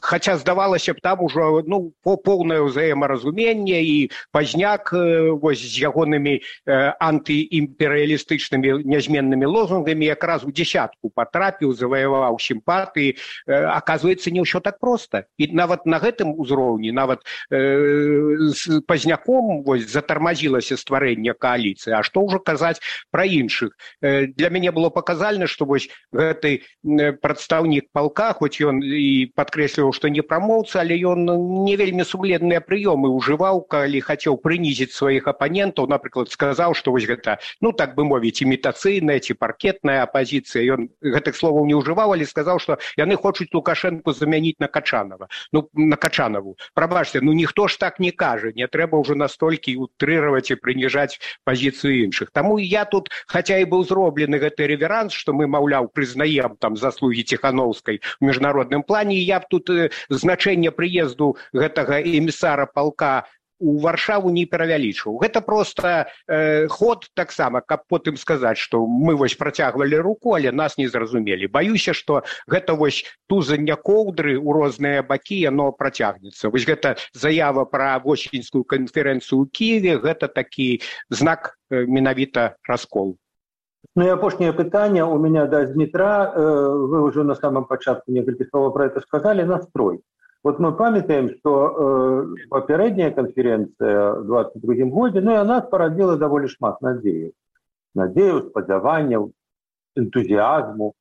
хаця здавалася б там ужо поўнае ўзаемаразуменне, і Пазняк з ягонымі антыімперыялістычнымі нязменнымі лозунгамі якраз у дзесятку патрапіў, заваяваў сімпатыі. Аказваецца, не ўсё так проста. І нават на гэтым узроўні, нават з Пазняком затармазілася стварэнне кааліцыі. А што ўжо казаць пра іншых? Для мяне было паказальна, што гэты прадстаўнік палка, хоць ён і падкрэсліваў, што не прамоўца, але ён не вельмі сумленныя прыёмы ўжываў, калі хацеў прынізіць сваіх апанентаў. Напрыклад, сказаў, што гэта, так бы мовіць, імітацыйная ці паркетная апазіцыя. Ён гэтых словаў не ўжываў, але сказаў, што яны хочуць Лукашэнку замяніць на Качанова. На Качанову. Прабачце, ніхто ж так не кажа. Не трэба ўжо настолькі утрыраваць і прыніжаць пазіцыю іншых. Таму я тут, хаця і быў зроблены гэты рэверанс, што мы, маўляў, прызнаем там заслугі Ціхановскай у міжнародным плане, і я б тут значэнне прыезду гэтага эмісара палка у Варшаву не перавялічваў. Гэта проста ход таксама, каб потым сказаць, што мы працягвалі руку, але нас не зразумелі. Баюся, што гэта тузанне коўдры ў розныя бакі, яно працягнецца. Гэта заява пра восеньскую канферэнцыю ў Кіеве, гэта такі знак менавіта расколу. И апошнее пытанне у меня до Дмитра. Вы уже на самом початку некалькі слов про это сказали. Настрой. Мы памятаем, что попередняя конференция в 22-м году, и она породила довольно шмат надеек. надзеяў, спадзяванняў, энтузіазму.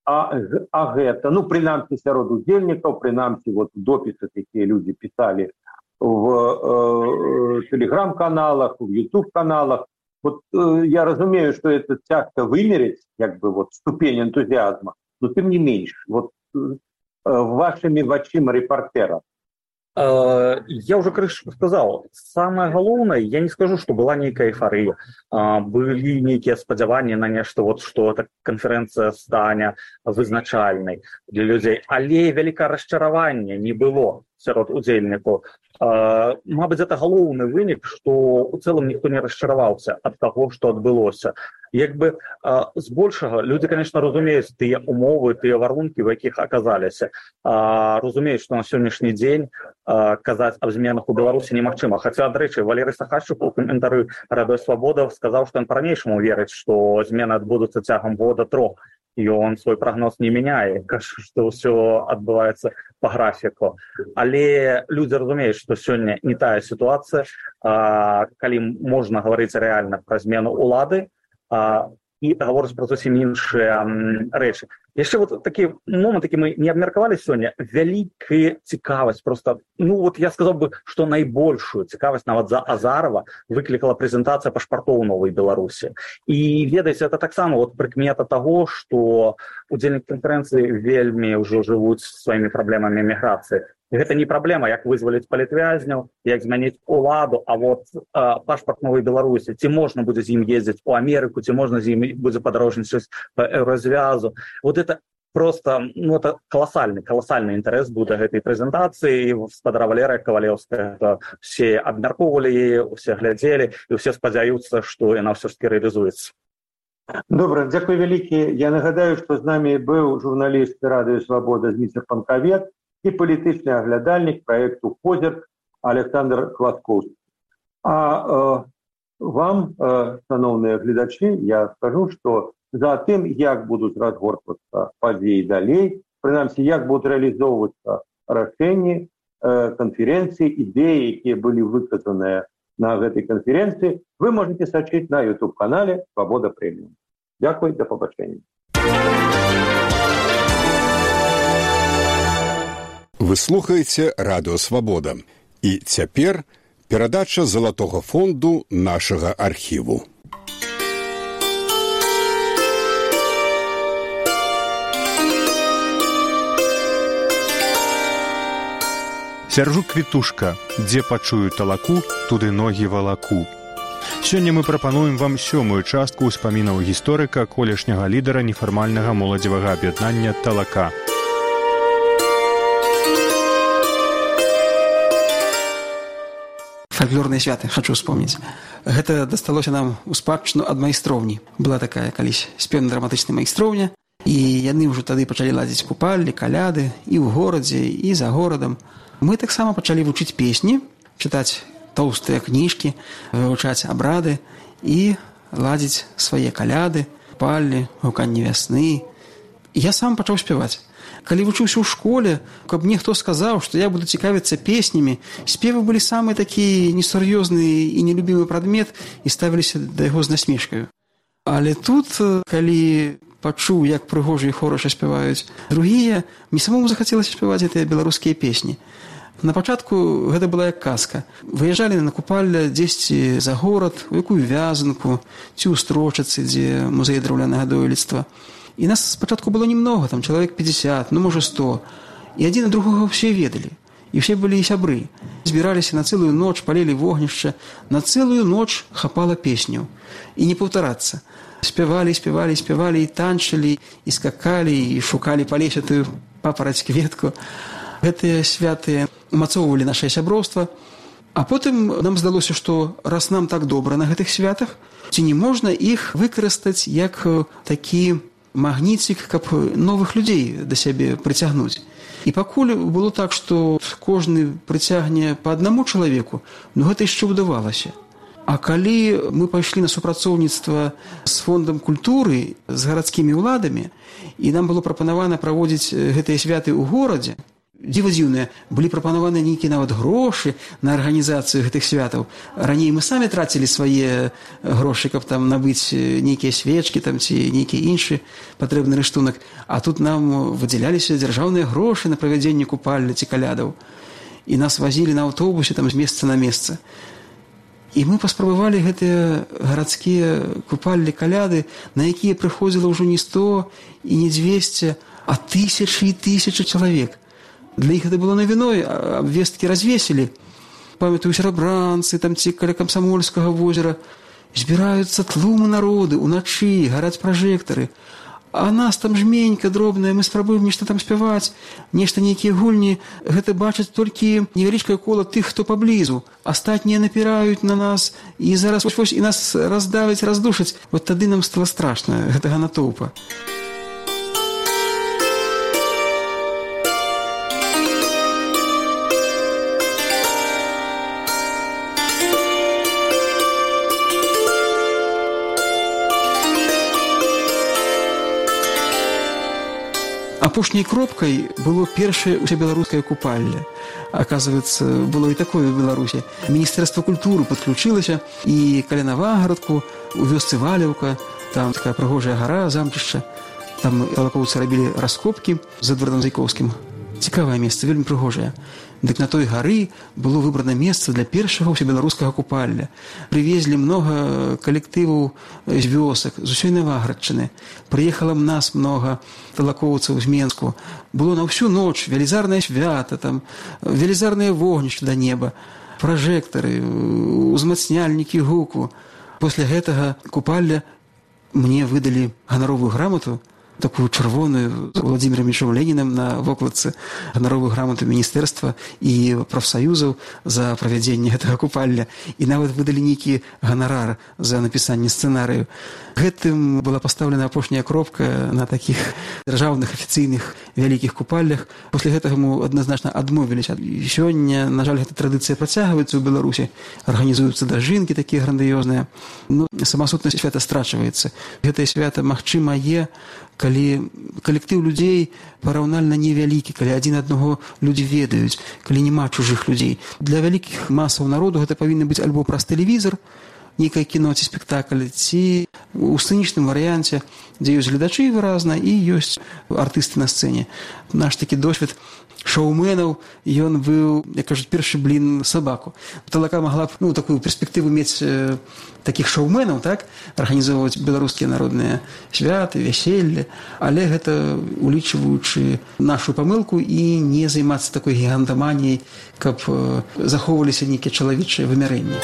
А гэта, ну, прынамсі сярод удзельнікаў, прынамсі вот допісы, якія людзі пісалі в телеграм-каналах, в YouTube-каналах. Вот я разумею, что это тяжко вымерить, как бы вот ступень энтузиазма, но тем не меньше, вот вашими вачима репортера. Я уже крышу сказал, самое главное, я не скажу, что была некая эйфория, были некие спадзяванні на нешта, вот, что эта конференция стане вызначальной для людей, але вялікае расчараванне не было сярод удзельнікаў. Мабыць, это галоўны вынік, што ў цэлым ніхто не расчараваўся ад таго, што адбылося. Як бы збольшага людзі, конечно, разумеюць тыя умовы, тыя варункі, у якіх аказаліся. Разумеюць, што на сённяшні дзень казаць аб зменах у Беларусі немагчыма. Хаця, дарэчы, Валерый Сахашчук у каментары Радыё Свабода сказаў, што ён па-ранейшаму верыць, што змены адбудуцца цягам года-трох. І он свой прогноз не мяняе, кажа, што ўсё адбываецца па графіку. Але людзі разумеюць, што сёння не тая сітуацыя, калі можна гаварыць рэальна пра змену ўлады і гаворыць пра зусім іншыя рэчы. Яшчэ вот такі момант, які мы не абмеркавалі сёння, вялікая цікавасць, просто, ну вот я сказаў бы, што найбольшую цікавасць нават за Азарова выклікала прэзентацыя пашпартоў Новай Беларусі. І ведаеце, это таксама вот прыкмета таго, што удзельнікі канферэнцыі вельмі ўжо жывуць сваімі праблемамі міграцыі. І гэта не праблема, як вызваліць палітвязняў, як змяніць уладу, а вот пашпарт Новай Беларусі, ці можна будзе з ім ездзіць у Амерыку, ці можна з ім будзе падарожнічаць па Еўразвязу. Вот это просто, ну, это колоссальный интерес буде гэтай прэзентацыі. Гаспадара Валерыя Кавалеўская, все абмяркоўвалі яе, усе глядзелі, і ўсе спадзяюцца, што яна ўсё ж таки рэалізуецца. Добра, дзякуй вялікі. Я нагадаю, што з намі быў журналіст Радыё Свабода Зміцер Панкавет і палітычны аглядальнік праекту «Позірк» Александр Хваткоўскі. А вам, шановныя гледачы, я скажу, што за тым, як будуць разгортвацца падзеі далей, прынамсі, як будуць рэалізоўвацца рашэнні канферэнцыі, ідэі, якія былі выказаныя на гэтай канферэнцыі, вы можете сачыць на YouTube-канале «Свабода Прэміум». Дзякуй, да пабачэння. Вы слухаеце Радыё Свабода. І цяпер перадача залатога фонду нашага архіву. Сяржук Квітушка, дзе пачую талаку, туды ногі валаку. Сёння мы прапануем вам 7-ю частку ўспамінаў гісторыка, колішняга лідара нефармальнага моладзевага аб'яднання «Талака». Фальклорныя святы, хочу вспомнить. Гэта дасталося нам у спадчыну ад майстроўні. Была такая калісь спеўна-драматычная майстроўня, і яны ўжо тады пачалі ладзіць купаллі, каляды і ў горадзе, і за горадам. Мы таксама пачалі вучыць песні, чытаць тоўстыя кніжкі, вывучаць абрады і ладзіць свае каляды, купаллі, гуканне вясны. І я сам пачаў спяваць. Калі вучыўся ў школе, каб мне хто сказаў, што я буду цікавіцца песнямі, спевы былі самы такі несур'ёзны і нелюбімы прадмет і ставіліся да яго з насмешкаю. Але тут, калі пачуў, як прыгожа і хораша спяваюць другія, мне самому захацелася спяваць гэтыя беларускія песні. На пачатку гэта была як казка. Выязджалі на купалле дзесьці за горад, у якую вязанку, ці ў Строчыцы, дзе музей драўлянага дойлідства. І нас спачатку было немного, там чалавек 50, ну, можа 100. І адзін ад другога ўсе ведалі. І ўсе былі сябры. Збіраліся на цэлую ноч, палілі вогнішча. На цэлую ноч хапала песняў. І не паўтарацца. Спявалі і танчылі, і скакалі, і шукалі па лесе тую папараць кветку. Гэтыя святыя умацоўвалі нашае сяброўства. А потым нам здалося, што раз нам так добра на гэтых святах, ці не можна іх выкарыстаць як такі магніцік, каб новых людзей да сябе прыцягнуць. І пакуль было так, што кожны прыцягне па аднаму чалавеку, ну гэта яшчэ ўдавалася. А калі мы пайшлі на супрацоўніцтва з фондам культуры, з гарадскімі ўладамі, і нам было прапанавана праводзіць гэтыя святы ў горадзе, дзіва дзіўнае, былі прапанаваны нейкія нават грошы на арганізацыю гэтых святаў. Раней мы самі трацілі свае грошы, каб там набыць нейкія свечкі там, ці нейкі іншы патрэбны рыштунак. А тут нам выдзяляліся дзяржаўныя грошы на правядзенне купальні ці калядаў. І нас вазілі на аўтобусе там, з месца на месца. І мы паспрабавалі гэтыя гарадскія купальні каляды, на якія прыходзіла ўжо не 100 і не 200, а тысячы і тысячы чалавек. Для іх гэта было навіной, абвесткі развесілі. Памятаю, серабранцы, там ці каля Камсамольскага возера. Збіраюцца тлумы народы, уначы, гараць пражэктары. А нас там жменька дробная, мы спрабуем нешта там спяваць, нешта нейкія гульні. Гэта бачаць толькі невялічкае кола тых, хто паблізу. Астатнія напіраюць на нас, і зараз вось і нас раздавяць, раздушаць. Вот тады нам стала страшна, гэтага натоўпа. Апошняй кропкай было першае ўсебеларускае купальне. Оказывается, было і такое в Беларусі. Міністэрства культуры падключылася, і каля Навагарадку, у вёсцы Валеўка, там такая прыгожая гара, замчышча. Там талакоўцы рабілі раскопкі з Эдвардам Зайковскім. Цікавае месца, вельмі прыгожае. Дык на той гары было выбрана месца для першага ўсебеларускага купальня. Прывезлі многа калектываў з вёсак, з усёй Навагарадчыны. Прыехала нас многа талакоўцаў з Менску. Было на ўсю ноч велізарнае свята, там, велізарныя вогнішчы да неба, пражэктары, узмацняльнікі гуку. Пасля гэтага купальня мне выдалі ганаровую грамату, такую чырвоную, з Владзімірам Ільічом Ленінам на вокладцы, ганаровую грамату міністэрства і прафсаюзаў за правядзенне гэтага купальня. І нават выдалі нейкі ганарар за напісанне сцэнарыю. Гэтым была пастаўлена апошняя кропка на такіх дзяржаўных афіцыйных вялікіх купальнях. Пасля гэтага мы адназначна адмовіліся. Сёння, на жаль, гэта традыцыя працягваецца ў Беларусі. Арганізуюцца дажынкі такія грандыёзныя. Ну, самасутнасць свята страчваецца. Гэтае свята, магчыма, калі калектыў людзей параўнальна невялікі, калі адзін аднаго людзі ведаюць, калі няма чужых людзей. Для вялікіх масаў народу гэта павінна быць альбо праз тэлевізор, нейкае кіно ці спектакль, ці ў сцэнічным варыянце, дзе ёсць гледачы выразна і ёсць артысты на сцэне. Наш такі досвед шоуменаў, ён быў, як кажуць, першы блін сабаку. Талака магла б такую перспектыву мець такіх шоуменаў, так, арганізоўваць беларускія народныя святы, вяселле, але гэта улічваючы нашу памылку і не займацца такой гігантаманіяй, каб захоўваліся нейкія чалавечыя вымярэнні.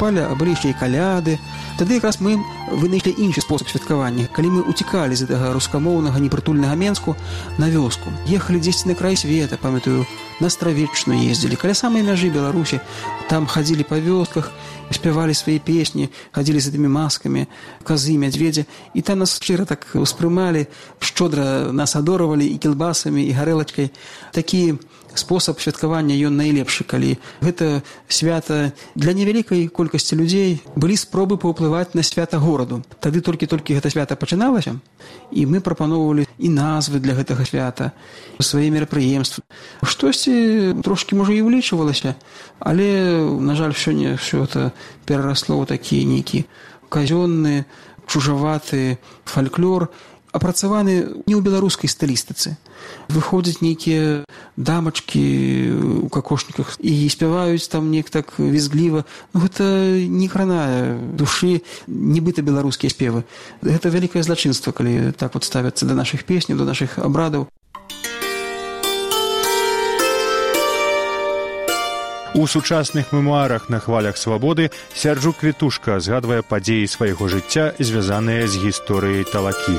А былі яшчэ і каляды. Тады якраз мы вынайшлі іншы спосаб святкавання. Калі мы уцікалі з гэтага рускамоўнага непрытульнага Менску на вёску, ехалі дзесьці на край света, памятаю, на Стравеччыну ездзілі, каля самай мяжы Беларусі, там хадзілі па вёсках, спявалі свае песні, хадзілі з гэтымі маскамі, казы, мядзведзі, і там нас шчыра так успрымалі, шчодра нас адоравалі і кілбасамі, і гарэлачкай. Такі спосаб святкавання ён найлепшы, калі гэта свята для невялікай колькасці людзей. Былі спробы паўплываць на свята гораду. Тады толькі гэта свята пачыналася, і мы прапаноўвалі і назвы для гэтага свята, свае мерапрыемствы. Штосьці трошкі, можа, і ўлічвалася, але, на жаль, сёння ўсё гэта перарасло ў такі нейкі казённы, чужаваты фальклор, апрацаваны не ў беларускай стылістыцы. Выходзяць нейкія дамачкі ў какошніках і спяваюць там неяк так візгліва. Гэта не кранае душы, нібыта беларускія спевы. Гэта вялікае злачынства, калі так вот ставяцца да нашых песняў, да нашых абрадаў. У сучасных мемуарах на хвалях свабоды Сярджук Квітушка згадвае падзеі свайго жыцця, звязаныя з гісторыяй талакі.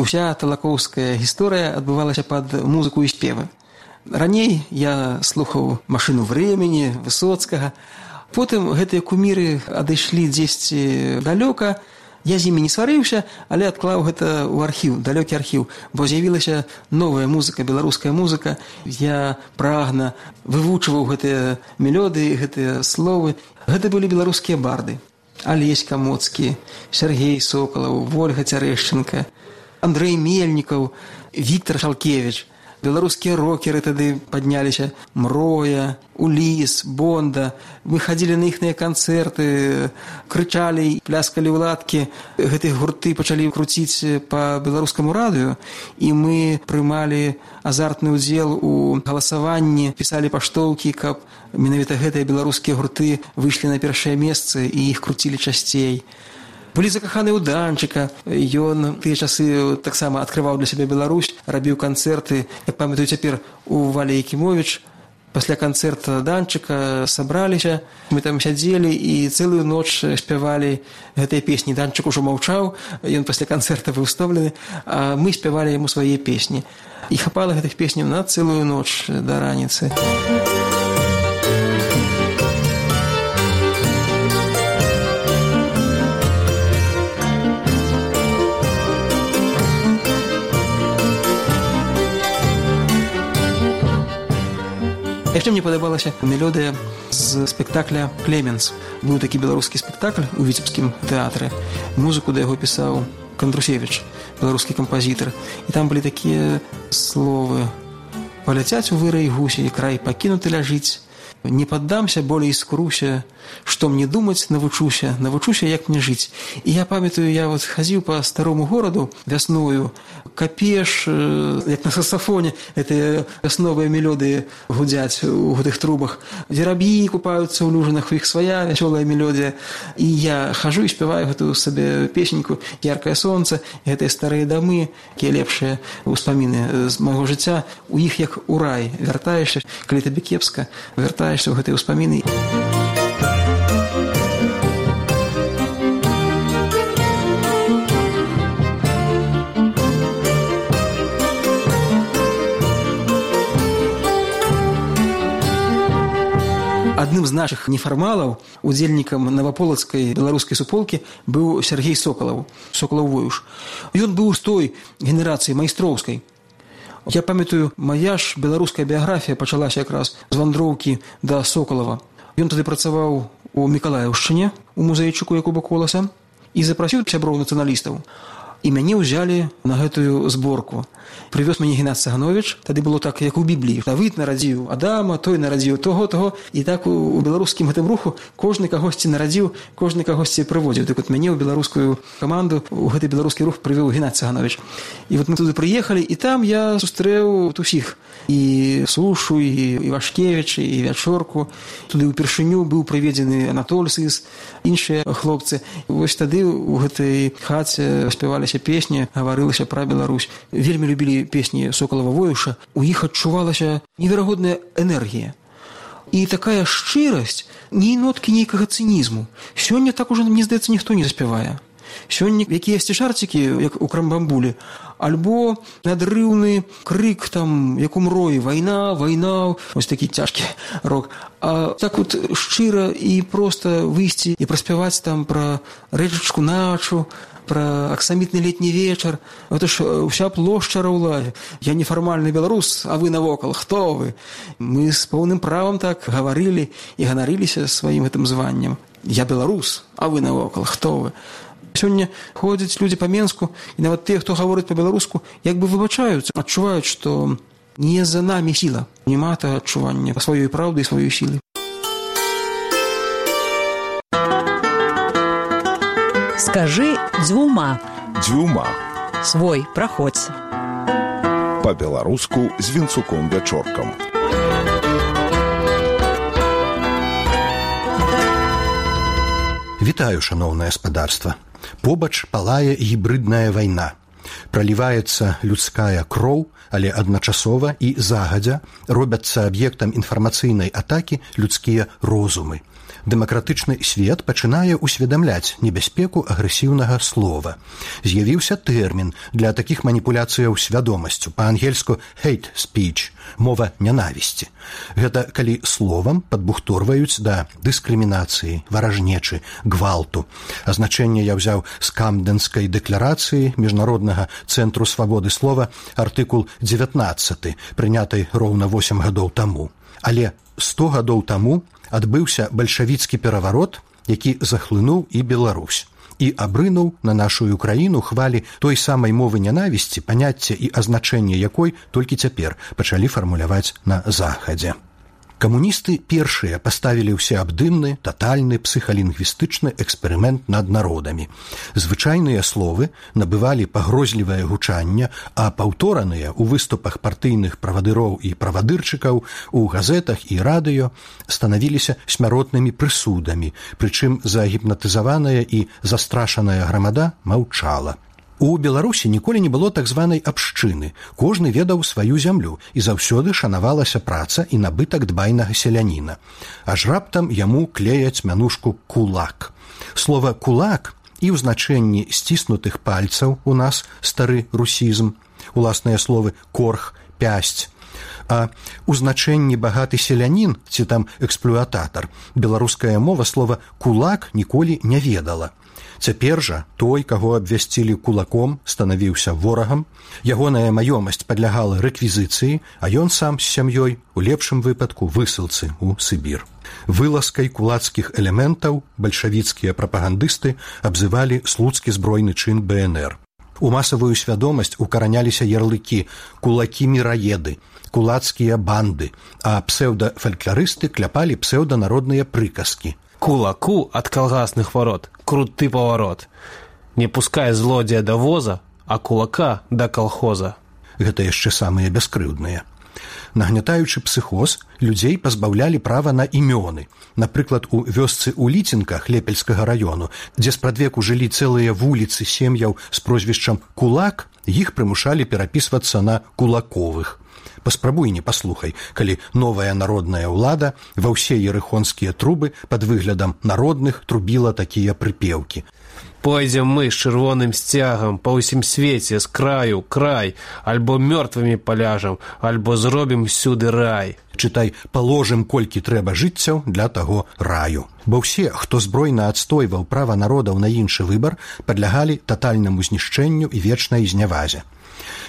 Уся талакоўская гісторыя адбывалася пад музыку і спевы. Раней я слухаў «Машыну времени», Высоцкага, Потым гэтыя куміры адышлі дзесьці далёка. Я з імі не сварыўся, але адклаў гэта ў архіў, далёкі архіў, бо з'явілася новая музыка, беларуская музыка. Я прагна вывучваў гэтыя мелодыі, гэтыя словы. Гэта былі беларускія барды. Алесь Камоцкі, Сергей Соколаў, Вольга Цярэшчынка, Андрэй Мельнікаў, Віктор Шалкевіч. Беларускія рокеры тады падняліся. Мроя, Уліс, Бонда. Мы хадзілі на іхныя канцэрты, крычалі, пляскалі ў ладкі. Гэтыя гурты пачалі круціць па беларускаму радыё, і мы прымалі азартны ўдзел у галасаванні, пісалі паштоўкі, каб менавіта гэтыя беларускія гурты выйшлі на першае месца і іх круцілі часцей. Былі закаханы ў Данчыка. Ён тыя часы таксама адкрываў для сябе Беларусь, рабіў канцэрты. Я памятаю цяпер у Валі Якімовіч. Пасля канцэрта Данчыка сабраліся. Мы там сядзелі і цэлую ноч спявалі гэтыя песні. Данчык ужо маўчаў, ён пасля канцэрта быў стомлены, а мы спявалі яму свае песні. І хапала гэтых песняў на цэлую ноч да раніцы. Яшчэ мне падабалася мелодыя з спектакля «Клеменс». Быў такі беларускі спектакль у Віцебскім тэатры. Музыку да яго пісаў Кандрусевіч, беларускі кампазітар. І там былі такія словы: «Паляцяць у вырай гусі, край пакінуты ляжыць. Не паддамся, болей скруся, што мне думаць, навучуся, як мне жыць». І я памятаю, я вот хадзіў па старому гораду вясною, капеш, як на саксафоне, гэтыя вясновыя мелодыі гудзяць у гэтых трубах. Вераб'і купаюцца ў люжынах, у іх свая вясёлая мелодія. І я хожу і спяваю гэтую сабе песеньку «Яркае сонца», гэтыя старыя дамы, якія лепшыя ўспаміны з майго жыцця. У іх як у рай. Вяртаешся, калі табе кепска, вяртаешся ў гэтыя ўспаміны. Адным з нашых нефармалаў, удзельнікам наваполацкай беларускай суполкі, быў Сергей Соколаў, Соколаў-Воюш. Ён быў з той генерацыі майстроўскай. Я памятаю, мая ж беларуская біяграфія пачалася якраз з вандроўкі да Соколава. Ён тады працаваў у Мікалаеўшчыне, у музейчыку Якуба Коласа, і запрасіў сяброў нацыяналістаў. І мяне ўзялі на гэтую зборку. Прывёз мяне Геннадзь Цагановіч. Тады было так, як у Бібліі. Давыд нарадзіў Адама, той нарадзіў того. І так у беларускім гэтым руху кожны кагосьці нарадзіў, кожны кагосьці прыводзіў. Так вот мяне ў беларускую каманду, у гэты беларускі рух прывёў Геннадзь Цагановіч. І вот мы туды прыехалі, і там я сустрэў усіх. І Сушу, і Вашкевіч, і Вячорку. Туды ўпершыню быў прыведзены Анатоль Сыс, іншыя хлопцы. Вось тады у гэтай хаце спяваліся песні, гаварылася пра Беларусь. Вельмі любілі песні Соколава-Воюша. У іх адчувалася неверагодная энергія. І такая шчырасць, ні ноткі нейкага цынізму. Сёння так ужо, мне здаецца, ніхто не заспявае. Сёння якіясьці жарцікі, як у Крамбамбулі, альбо надрыўны крык, там, як у Мроі, вайна, ось такі цяжкі рок. А так вот шчыра і проста выйсці і праспяваць там пра рэчачку начу, пра аксамітны летні вечар. Гэта ж уся плошча раўла. Я нефармальны беларус, а вы навокал, хто вы? Мы з поўным правам так гаварылі і ганарыліся сваім гэтым званнем. Я беларус, а вы навокал, хто вы? Сёння ходзяць людзі па Менску, і нават тыя, хто гаворыць па-беларуску, як бы выбачаюцца, адчуваюць, што не за намі сіла. Няма тага адчування сваёй праўды і сваёй сілы. Скажы дзвюма. Дзвюма. Свой, праходзь. Па-беларуску з Вінцуком Вячоркам. Вітаю, шаноўнае спадарства. Побач палае гібрыдная вайна. Праліваецца людская кроў, але адначасова і загадзя робяцца аб'ектам інфармацыйнай атакі людскія розумы. Дэмакратычны свет пачынае усведамляць небяспеку агрэсіўнага слова. З'явіўся тэрмін для такіх маніпуляцыяў свядомасцю, па-ангельску hate speech, мова нянавісці. Гэта калі словам падбухторваюць да дыскрымінацыі, варажнечы, гвалту. Азначэнне я ўзяў з Камдэнскай дэкларацыі Міжнароднага цэнтру свабоды слова, артыкул 19, прынятай роўна 8 гадоў таму. Але 100 гадоў таму адбыўся бальшавіцкі пераварот, які захлынуў і Беларусь, і абрынуў на нашу краіну хвалі той самай мовы нянавісці, паняцце і азначэнне якой толькі цяпер пачалі фармуляваць на Захадзе. Камуністы першыя паставілі ўсеабдымны, татальны псіхалінгвістычны эксперымент над народамі. Звычайныя словы набывалі пагрозлівае гучанне, а паўтораныя ў выступах партыйных правадыроў і правадырчыкаў, у газетах і радыё станавіліся смяротнымі прысудамі, прычым загіпнатызаваная і застрашаная грамада маўчала. У Беларусі ніколі не было так званай абшчыны. Кожны ведаў сваю зямлю, і заўсёды шанавалася праца і набытак дбайнага селяніна. Аж раптам яму клеяць мянушку «кулак». Слова «кулак» і ў значэнні сціснутых пальцаў у нас стары русізм, уласныя словы «корх», «пясць». А ў значэнні багаты селянін ці там эксплуататар беларуская мова слова «кулак» ніколі не ведала. Цяпер жа той, каго абвясцілі кулаком, станавіўся ворагам, ягоная маёмасць падлягала рэквізіцыі, а ён сам з сям'ёй, у лепшым выпадку, высылцы ў Сібір. Вылазкай кулацкіх элементаў бальшавіцкія прапагандысты абзывалі слуцкі збройны чын БНР. У масавую свядомасць укараняліся ярлыкі «кулакі-міраеды», «кулацкія банды», а псеўдафалькларысты кляпалі псеўданародныя прыказкі. Кулаку от колгасных ворот круты поворот. Не пускай злодзея до воза, а кулака до колхоза. Гэта яшчэ самыя бяскрыўдныя. Нагнятаючы псіхоз, людзей пазбаўлялі права на імёны. Напрыклад, у вёсцы ў Ліцінках Лепельскага раёну, дзе спрадвеку жылі цэлыя вуліцы сем'яў з прозвішчам «Кулак», іх прымушалі перапісвацца на «Кулаковых». Паспрабуй не паслухай, калі новая народная ўлада ва ўсе ерыхонскія трубы пад выглядам народных трубіла такія прыпеўкі. Пойдзем мы з чырвоным сцягам па ўсім свеце з краю край, альбо мёртвымі паляжам, альбо зробім всюды рай. Чытай, паложым колькі трэба жыццяў для таго раю. Бо ўсе, хто збройна адстойваў права народаў на іншы выбар, падлягалі татальнаму знішчэнню і вечнай знявазе.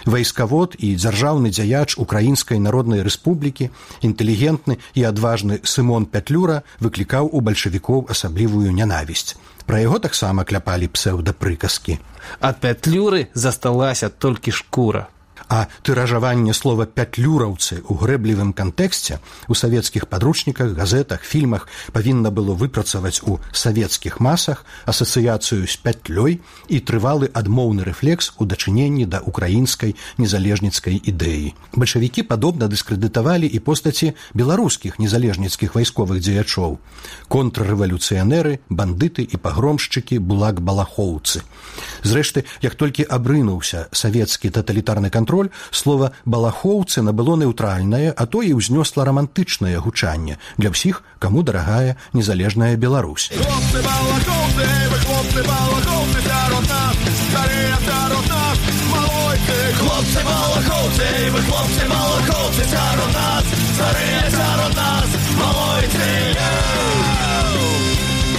Вайскавод і дзяржаўны дзяяч Украінскай Народнай Рэспублікі, інтэлігентны і адважны Сымон Пятлюра выклікаў у бальшавікоў асаблівую нянавісць. Пра яго таксама кляпалі псеўдапрыказкі. Ад Пятлюры засталася толькі шкура. А тыражаванне слова «пятлюраўцы» у грэблівым кантэксце у савецкіх падручніках, газетах, фільмах павінна было выпрацаваць у савецкіх масах асацыяцыю з пятлёй і трывалы адмоўны рэфлекс у дачыненні да украінскай незалежніцкай ідэі. Бальшавікі падобна дыскрэдытавалі і постаці беларускіх незалежніцкіх вайсковых дзеячоў. Контррэвалюцыянеры, бандыты і пагромшчыкі, булак-балахоўцы. Зрэшты, як толькі абрынуўся савецкі таталітарны кантроль, слова «балахоўцы» набыло нейтральнае, а то і ўзнёсла рамантычнае гучанне для ўсіх, каму дарагая незалежная Беларусь. Хлопцы балахоўцы, вы хлопцы балахоўцы сярод нас, старыя сярод нас, малойцы. Хлопцы балахоўцы, вы хлопцы балахоўцы сярод нас, старыя сярод нас, малойцы.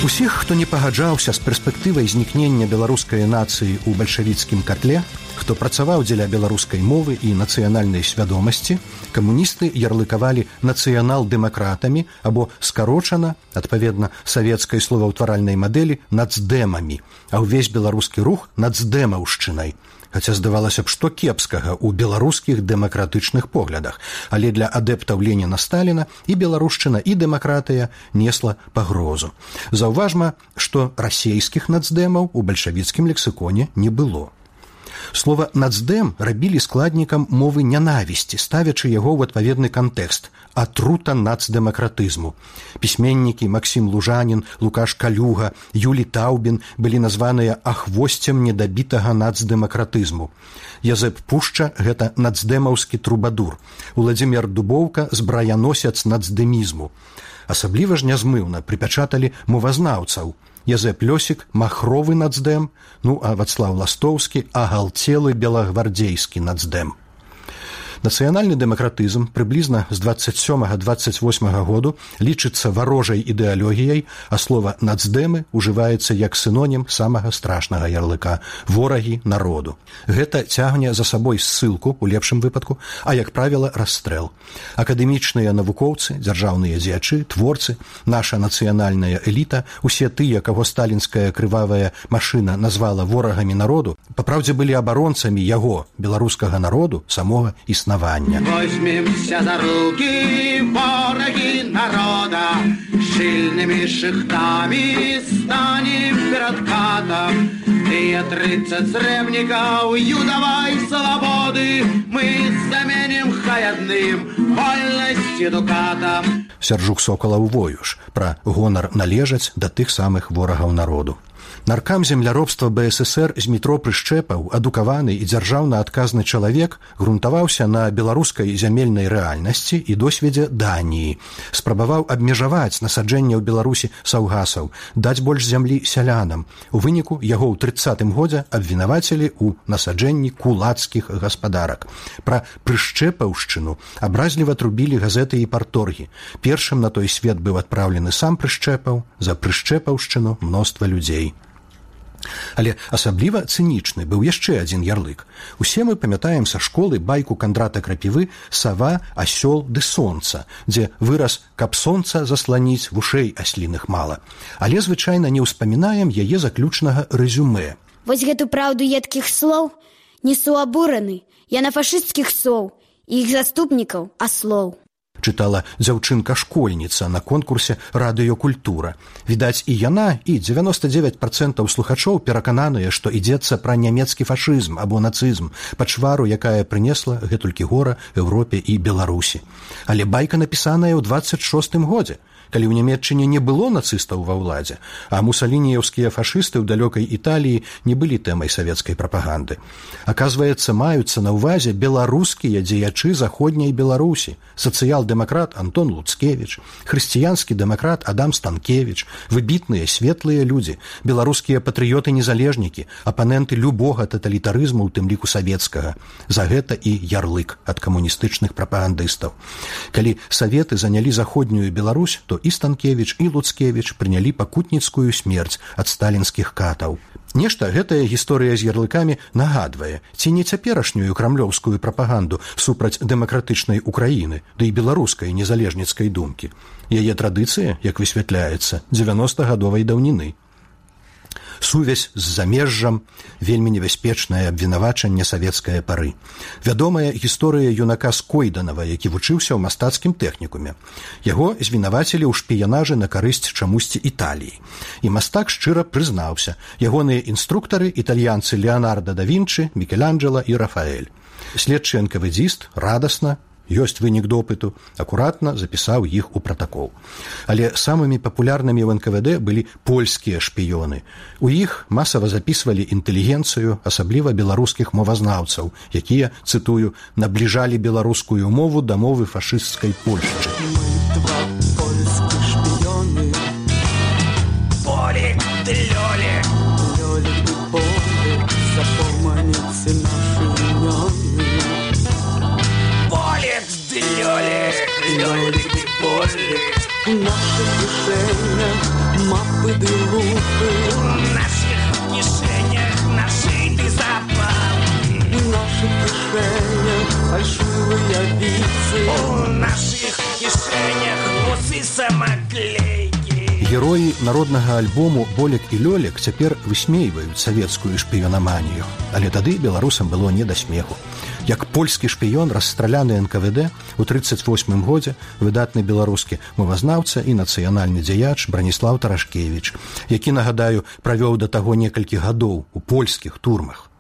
Усіх, хто не пагаджаўся з перспектывай знікнення беларускай нацыі ў бальшавіцкім катле, хто працаваў дзеля беларускай мовы і нацыянальнай свядомасці, камуністы ярлыкавалі нацыянал-дэмакратамі або скарочана, адпаведна савецкай словаўтваральнай мадэлі, нацдэмамі, а ўвесь беларускі рух нацдэмаўшчынай. Хаця здавалася б, што кепскага ў беларускіх дэмакратычных поглядах, але для адэптаў Леніна-Сталіна і беларушчына, і дэмакратыя несла пагрозу. Заўважма, што расейскіх нацдэмаў у бальшавіцкім лексіконе не было. Слова «нацдэм» рабілі складнікам мовы нянавісці, ставячы яго ў адпаведны кантэкст – атрута нацдэмакратызму. Пісьменнікі Максім Лужанін, Лукаш Калюга, Юлі Таўбін былі названыя ахвосцем недабітага нацдэмакратызму. Язэп Пушча – гэта нацдэмаўскі трубадур. Уладзімир Дубоўка – збраяносец нацдэмізму. Асабліва ж нязмыўна прыпячаталі мовазнаўцаў. Язэп Лёсік – махровы нацдэм, а Вацлаў Ластоўскі – агалцелы белагвардзейскі нацдэм. Нацыянальны дэмакратызм прыблізна з 27-28 году лічыцца варожай ідэалогіяй, а слова «нацдэмы» ужываецца як сінонім самага страшнага ярлыка – ворагі народу. Гэта цягне за сабой ссылку, у лепшым выпадку, а, як правіла, расстрэл. Акадэмічныя навукоўцы, дзяржаўныя дзеячы, творцы, наша нацыянальная эліта, усе тыя, каго сталінская крывавая машына назвала ворагамі народу, папраўдзе былі абаронцамі яго, беларускага народу, самога існавання. Возьмемся за руки, вороги народа, шильными шихтами станем перед катом. И 30 сребников юдовой свободы мы заменим хаядным вольности дукатом. Сяржук Сокалаў воюш пра гонар належаць да тых самых ворагаў народу. Наркам земляробства БССР Змітро Прышчэпаў, адукаваны і дзяржаўна адказны чалавек, грунтаваўся на беларускай зямельнай рэальнасці і досведзе Даніі. Спрабаваў абмежаваць насаджэнне ў Беларусі саўгасаў, даць больш зямлі сялянам. У выніку яго ў 30-м годзе абвінавацілі ў насаджэнні кулацкіх гаспадарак. Пра Прышчэпаўшчыну абразліва трубілі газеты і парторгі. Першым на той свет быў адпраўлены сам Прышчэпаў, за Прышчэпаўшчыну мноства людзей. Але асабліва цынічны быў яшчэ адзін ярлык. Усе мы памятаем са школы байку Кандрата Крапівы «Сава, асёл ды сонца», дзе выраз «каб сонца засланіць, вушэй асліных мала». Але звычайна не ўспамінаем яе заключнага рэзюмэ. Вось гэту праўду едкіх слоў несу абураны. Я на фашысцкіх соў і іх заступнікаў аслоў. Чытала дзяўчынка-школьніца на конкурсе «Радыёкультура». Відаць, і яна, і 99% слухачоў перакананыя, што ідзецца пра нямецкі фашызм або нацызм, пачвару, якая прынесла гэтулькі гора Еўропе і Беларусі. Але байка напісаная ў 26-м годзе, калі ў Нямецчыне не было нацыстаў ва ўладзе, а мусалініеўскія фашысты ў далёкай Італіі не былі тэмай савецкай прапаганды. Аказваецца, маюцца на ўвазе беларускія дзеячы заходняй Беларусі, сацыял-дэмакрат Антон Луцкевіч, хрысціянскі дэмакрат Адам Станкевіч, выбітныя светлыя людзі, беларускія патрыёты-незалежнікі, апаненты любога таталітарызму, у тым ліку савецкага. За гэта і ярлык ад камуністычных прапагандыстаў. Калі саветы занялі заходнюю Беларусь, то і Станкевіч, і Луцкевіч прынялі пакутніцкую смерць ад сталінскіх катаў. Нешта гэтая гісторыя з ярлыкамі нагадвае, ці не цяперашнюю крамлёўскую прапаганду супраць дэмакратычнай Украіны, ды і беларускай незалежніцкай думкі. Яе традыцыя, як высвятляецца, 90-гадовай даўніны. Сувязь з замежжам, вельмі небяспечнае абвінавачанне савецкае пары. Вядомая гісторыя юнака Скойданава, які вучыўся ў мастацкім тэхнікуме. Яго звінавацілі ў шпіянажы на карысць чамусьці Італіі. І мастак шчыра прызнаўся. Ягоныя інструктары – італьянцы Леонардо да Вінчы, Мікеланджела і Рафаэль. Следчы НКВДзіст радасна, ёсць вынік допыту, акуратна запісаў іх у пратакол. Але самымі папулярнымі ў НКВД былі польскія шпіёны. У іх масава запісвалі інтэлігенцыю, асабліва беларускіх мовазнаўцаў, якія, цытую, набліжалі беларускую мову да мовы фашысцкай Польшчы. Два польскіх шпіёны. Полік ды лёлік. Лёлік ды полік, запоманіце нашы імёны. У наших кишенях мапи ды лупи. У наших кишенях нашитий запал. У наших кишенях фальшивые віці. У наших кишенях усы самоклейки. Героі народнага альбому «Болек і Лёлек» цяпер высмейваюць савецкую шпіёнаманію, але тады беларусам было не да смеху. Як польскі шпіён, расстраляны НКВД у 38-м годзе выдатны беларускі мовазнаўца і нацыянальны дзеяч Браніслаў Тарашкевіч, які, нагадаю, правёў да таго некалькі гадоў у польскіх турмах.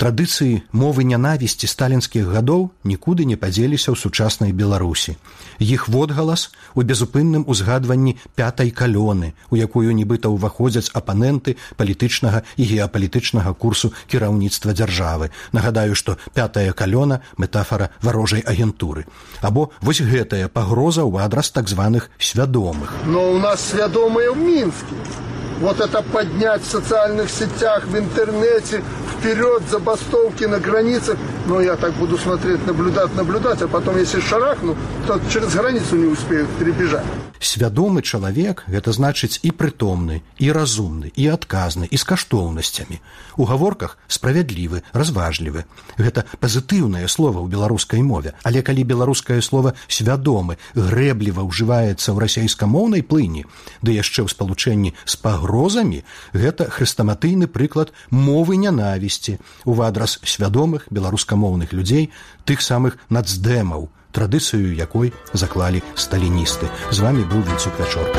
Традыцыі мовы нянавісці сталінскіх гадоў нікуды не падзеліся ў сучаснай Беларусі. Іх водгалас у безупынным узгадванні пятай калёны, у якую нібыта ўваходзяць апаненты палітычнага і геапалітычнага курсу кіраўніцтва дзяржавы. Нагадаю, што пятая калёна – метафора варожай агентуры. Або вось гэтая пагроза ў адрас так званых свядомых. Но у нас свядомыя ў Мінске. Вот это поднять в социальных сетях, в интернете, вперед, забастовки на границах. Но я так буду смотреть, наблюдать, а потом, если шарахну, то через границу не успеют перебежать. Свядомы чалавек – гэта значыць і прытомны, і разумны, і адказны, і з каштоўнасцямі. У гаворках справядлівы, разважлівы. Гэта пазітыўнае слова ў беларускай мове. Але калі беларускае слова «свядомы» грэбліва ўжываецца ў расейскамоўнай плыні, ды яшчэ ў спалучэнні з пагрозамі, гэта хрэстаматыйны прыклад мовы нянавісці ў адрас свядомых беларускамоўных людзей, тых самых нацдэмаў, традыцыю якой заклалі сталіністы. З вамі быў Вінцук Вячорка.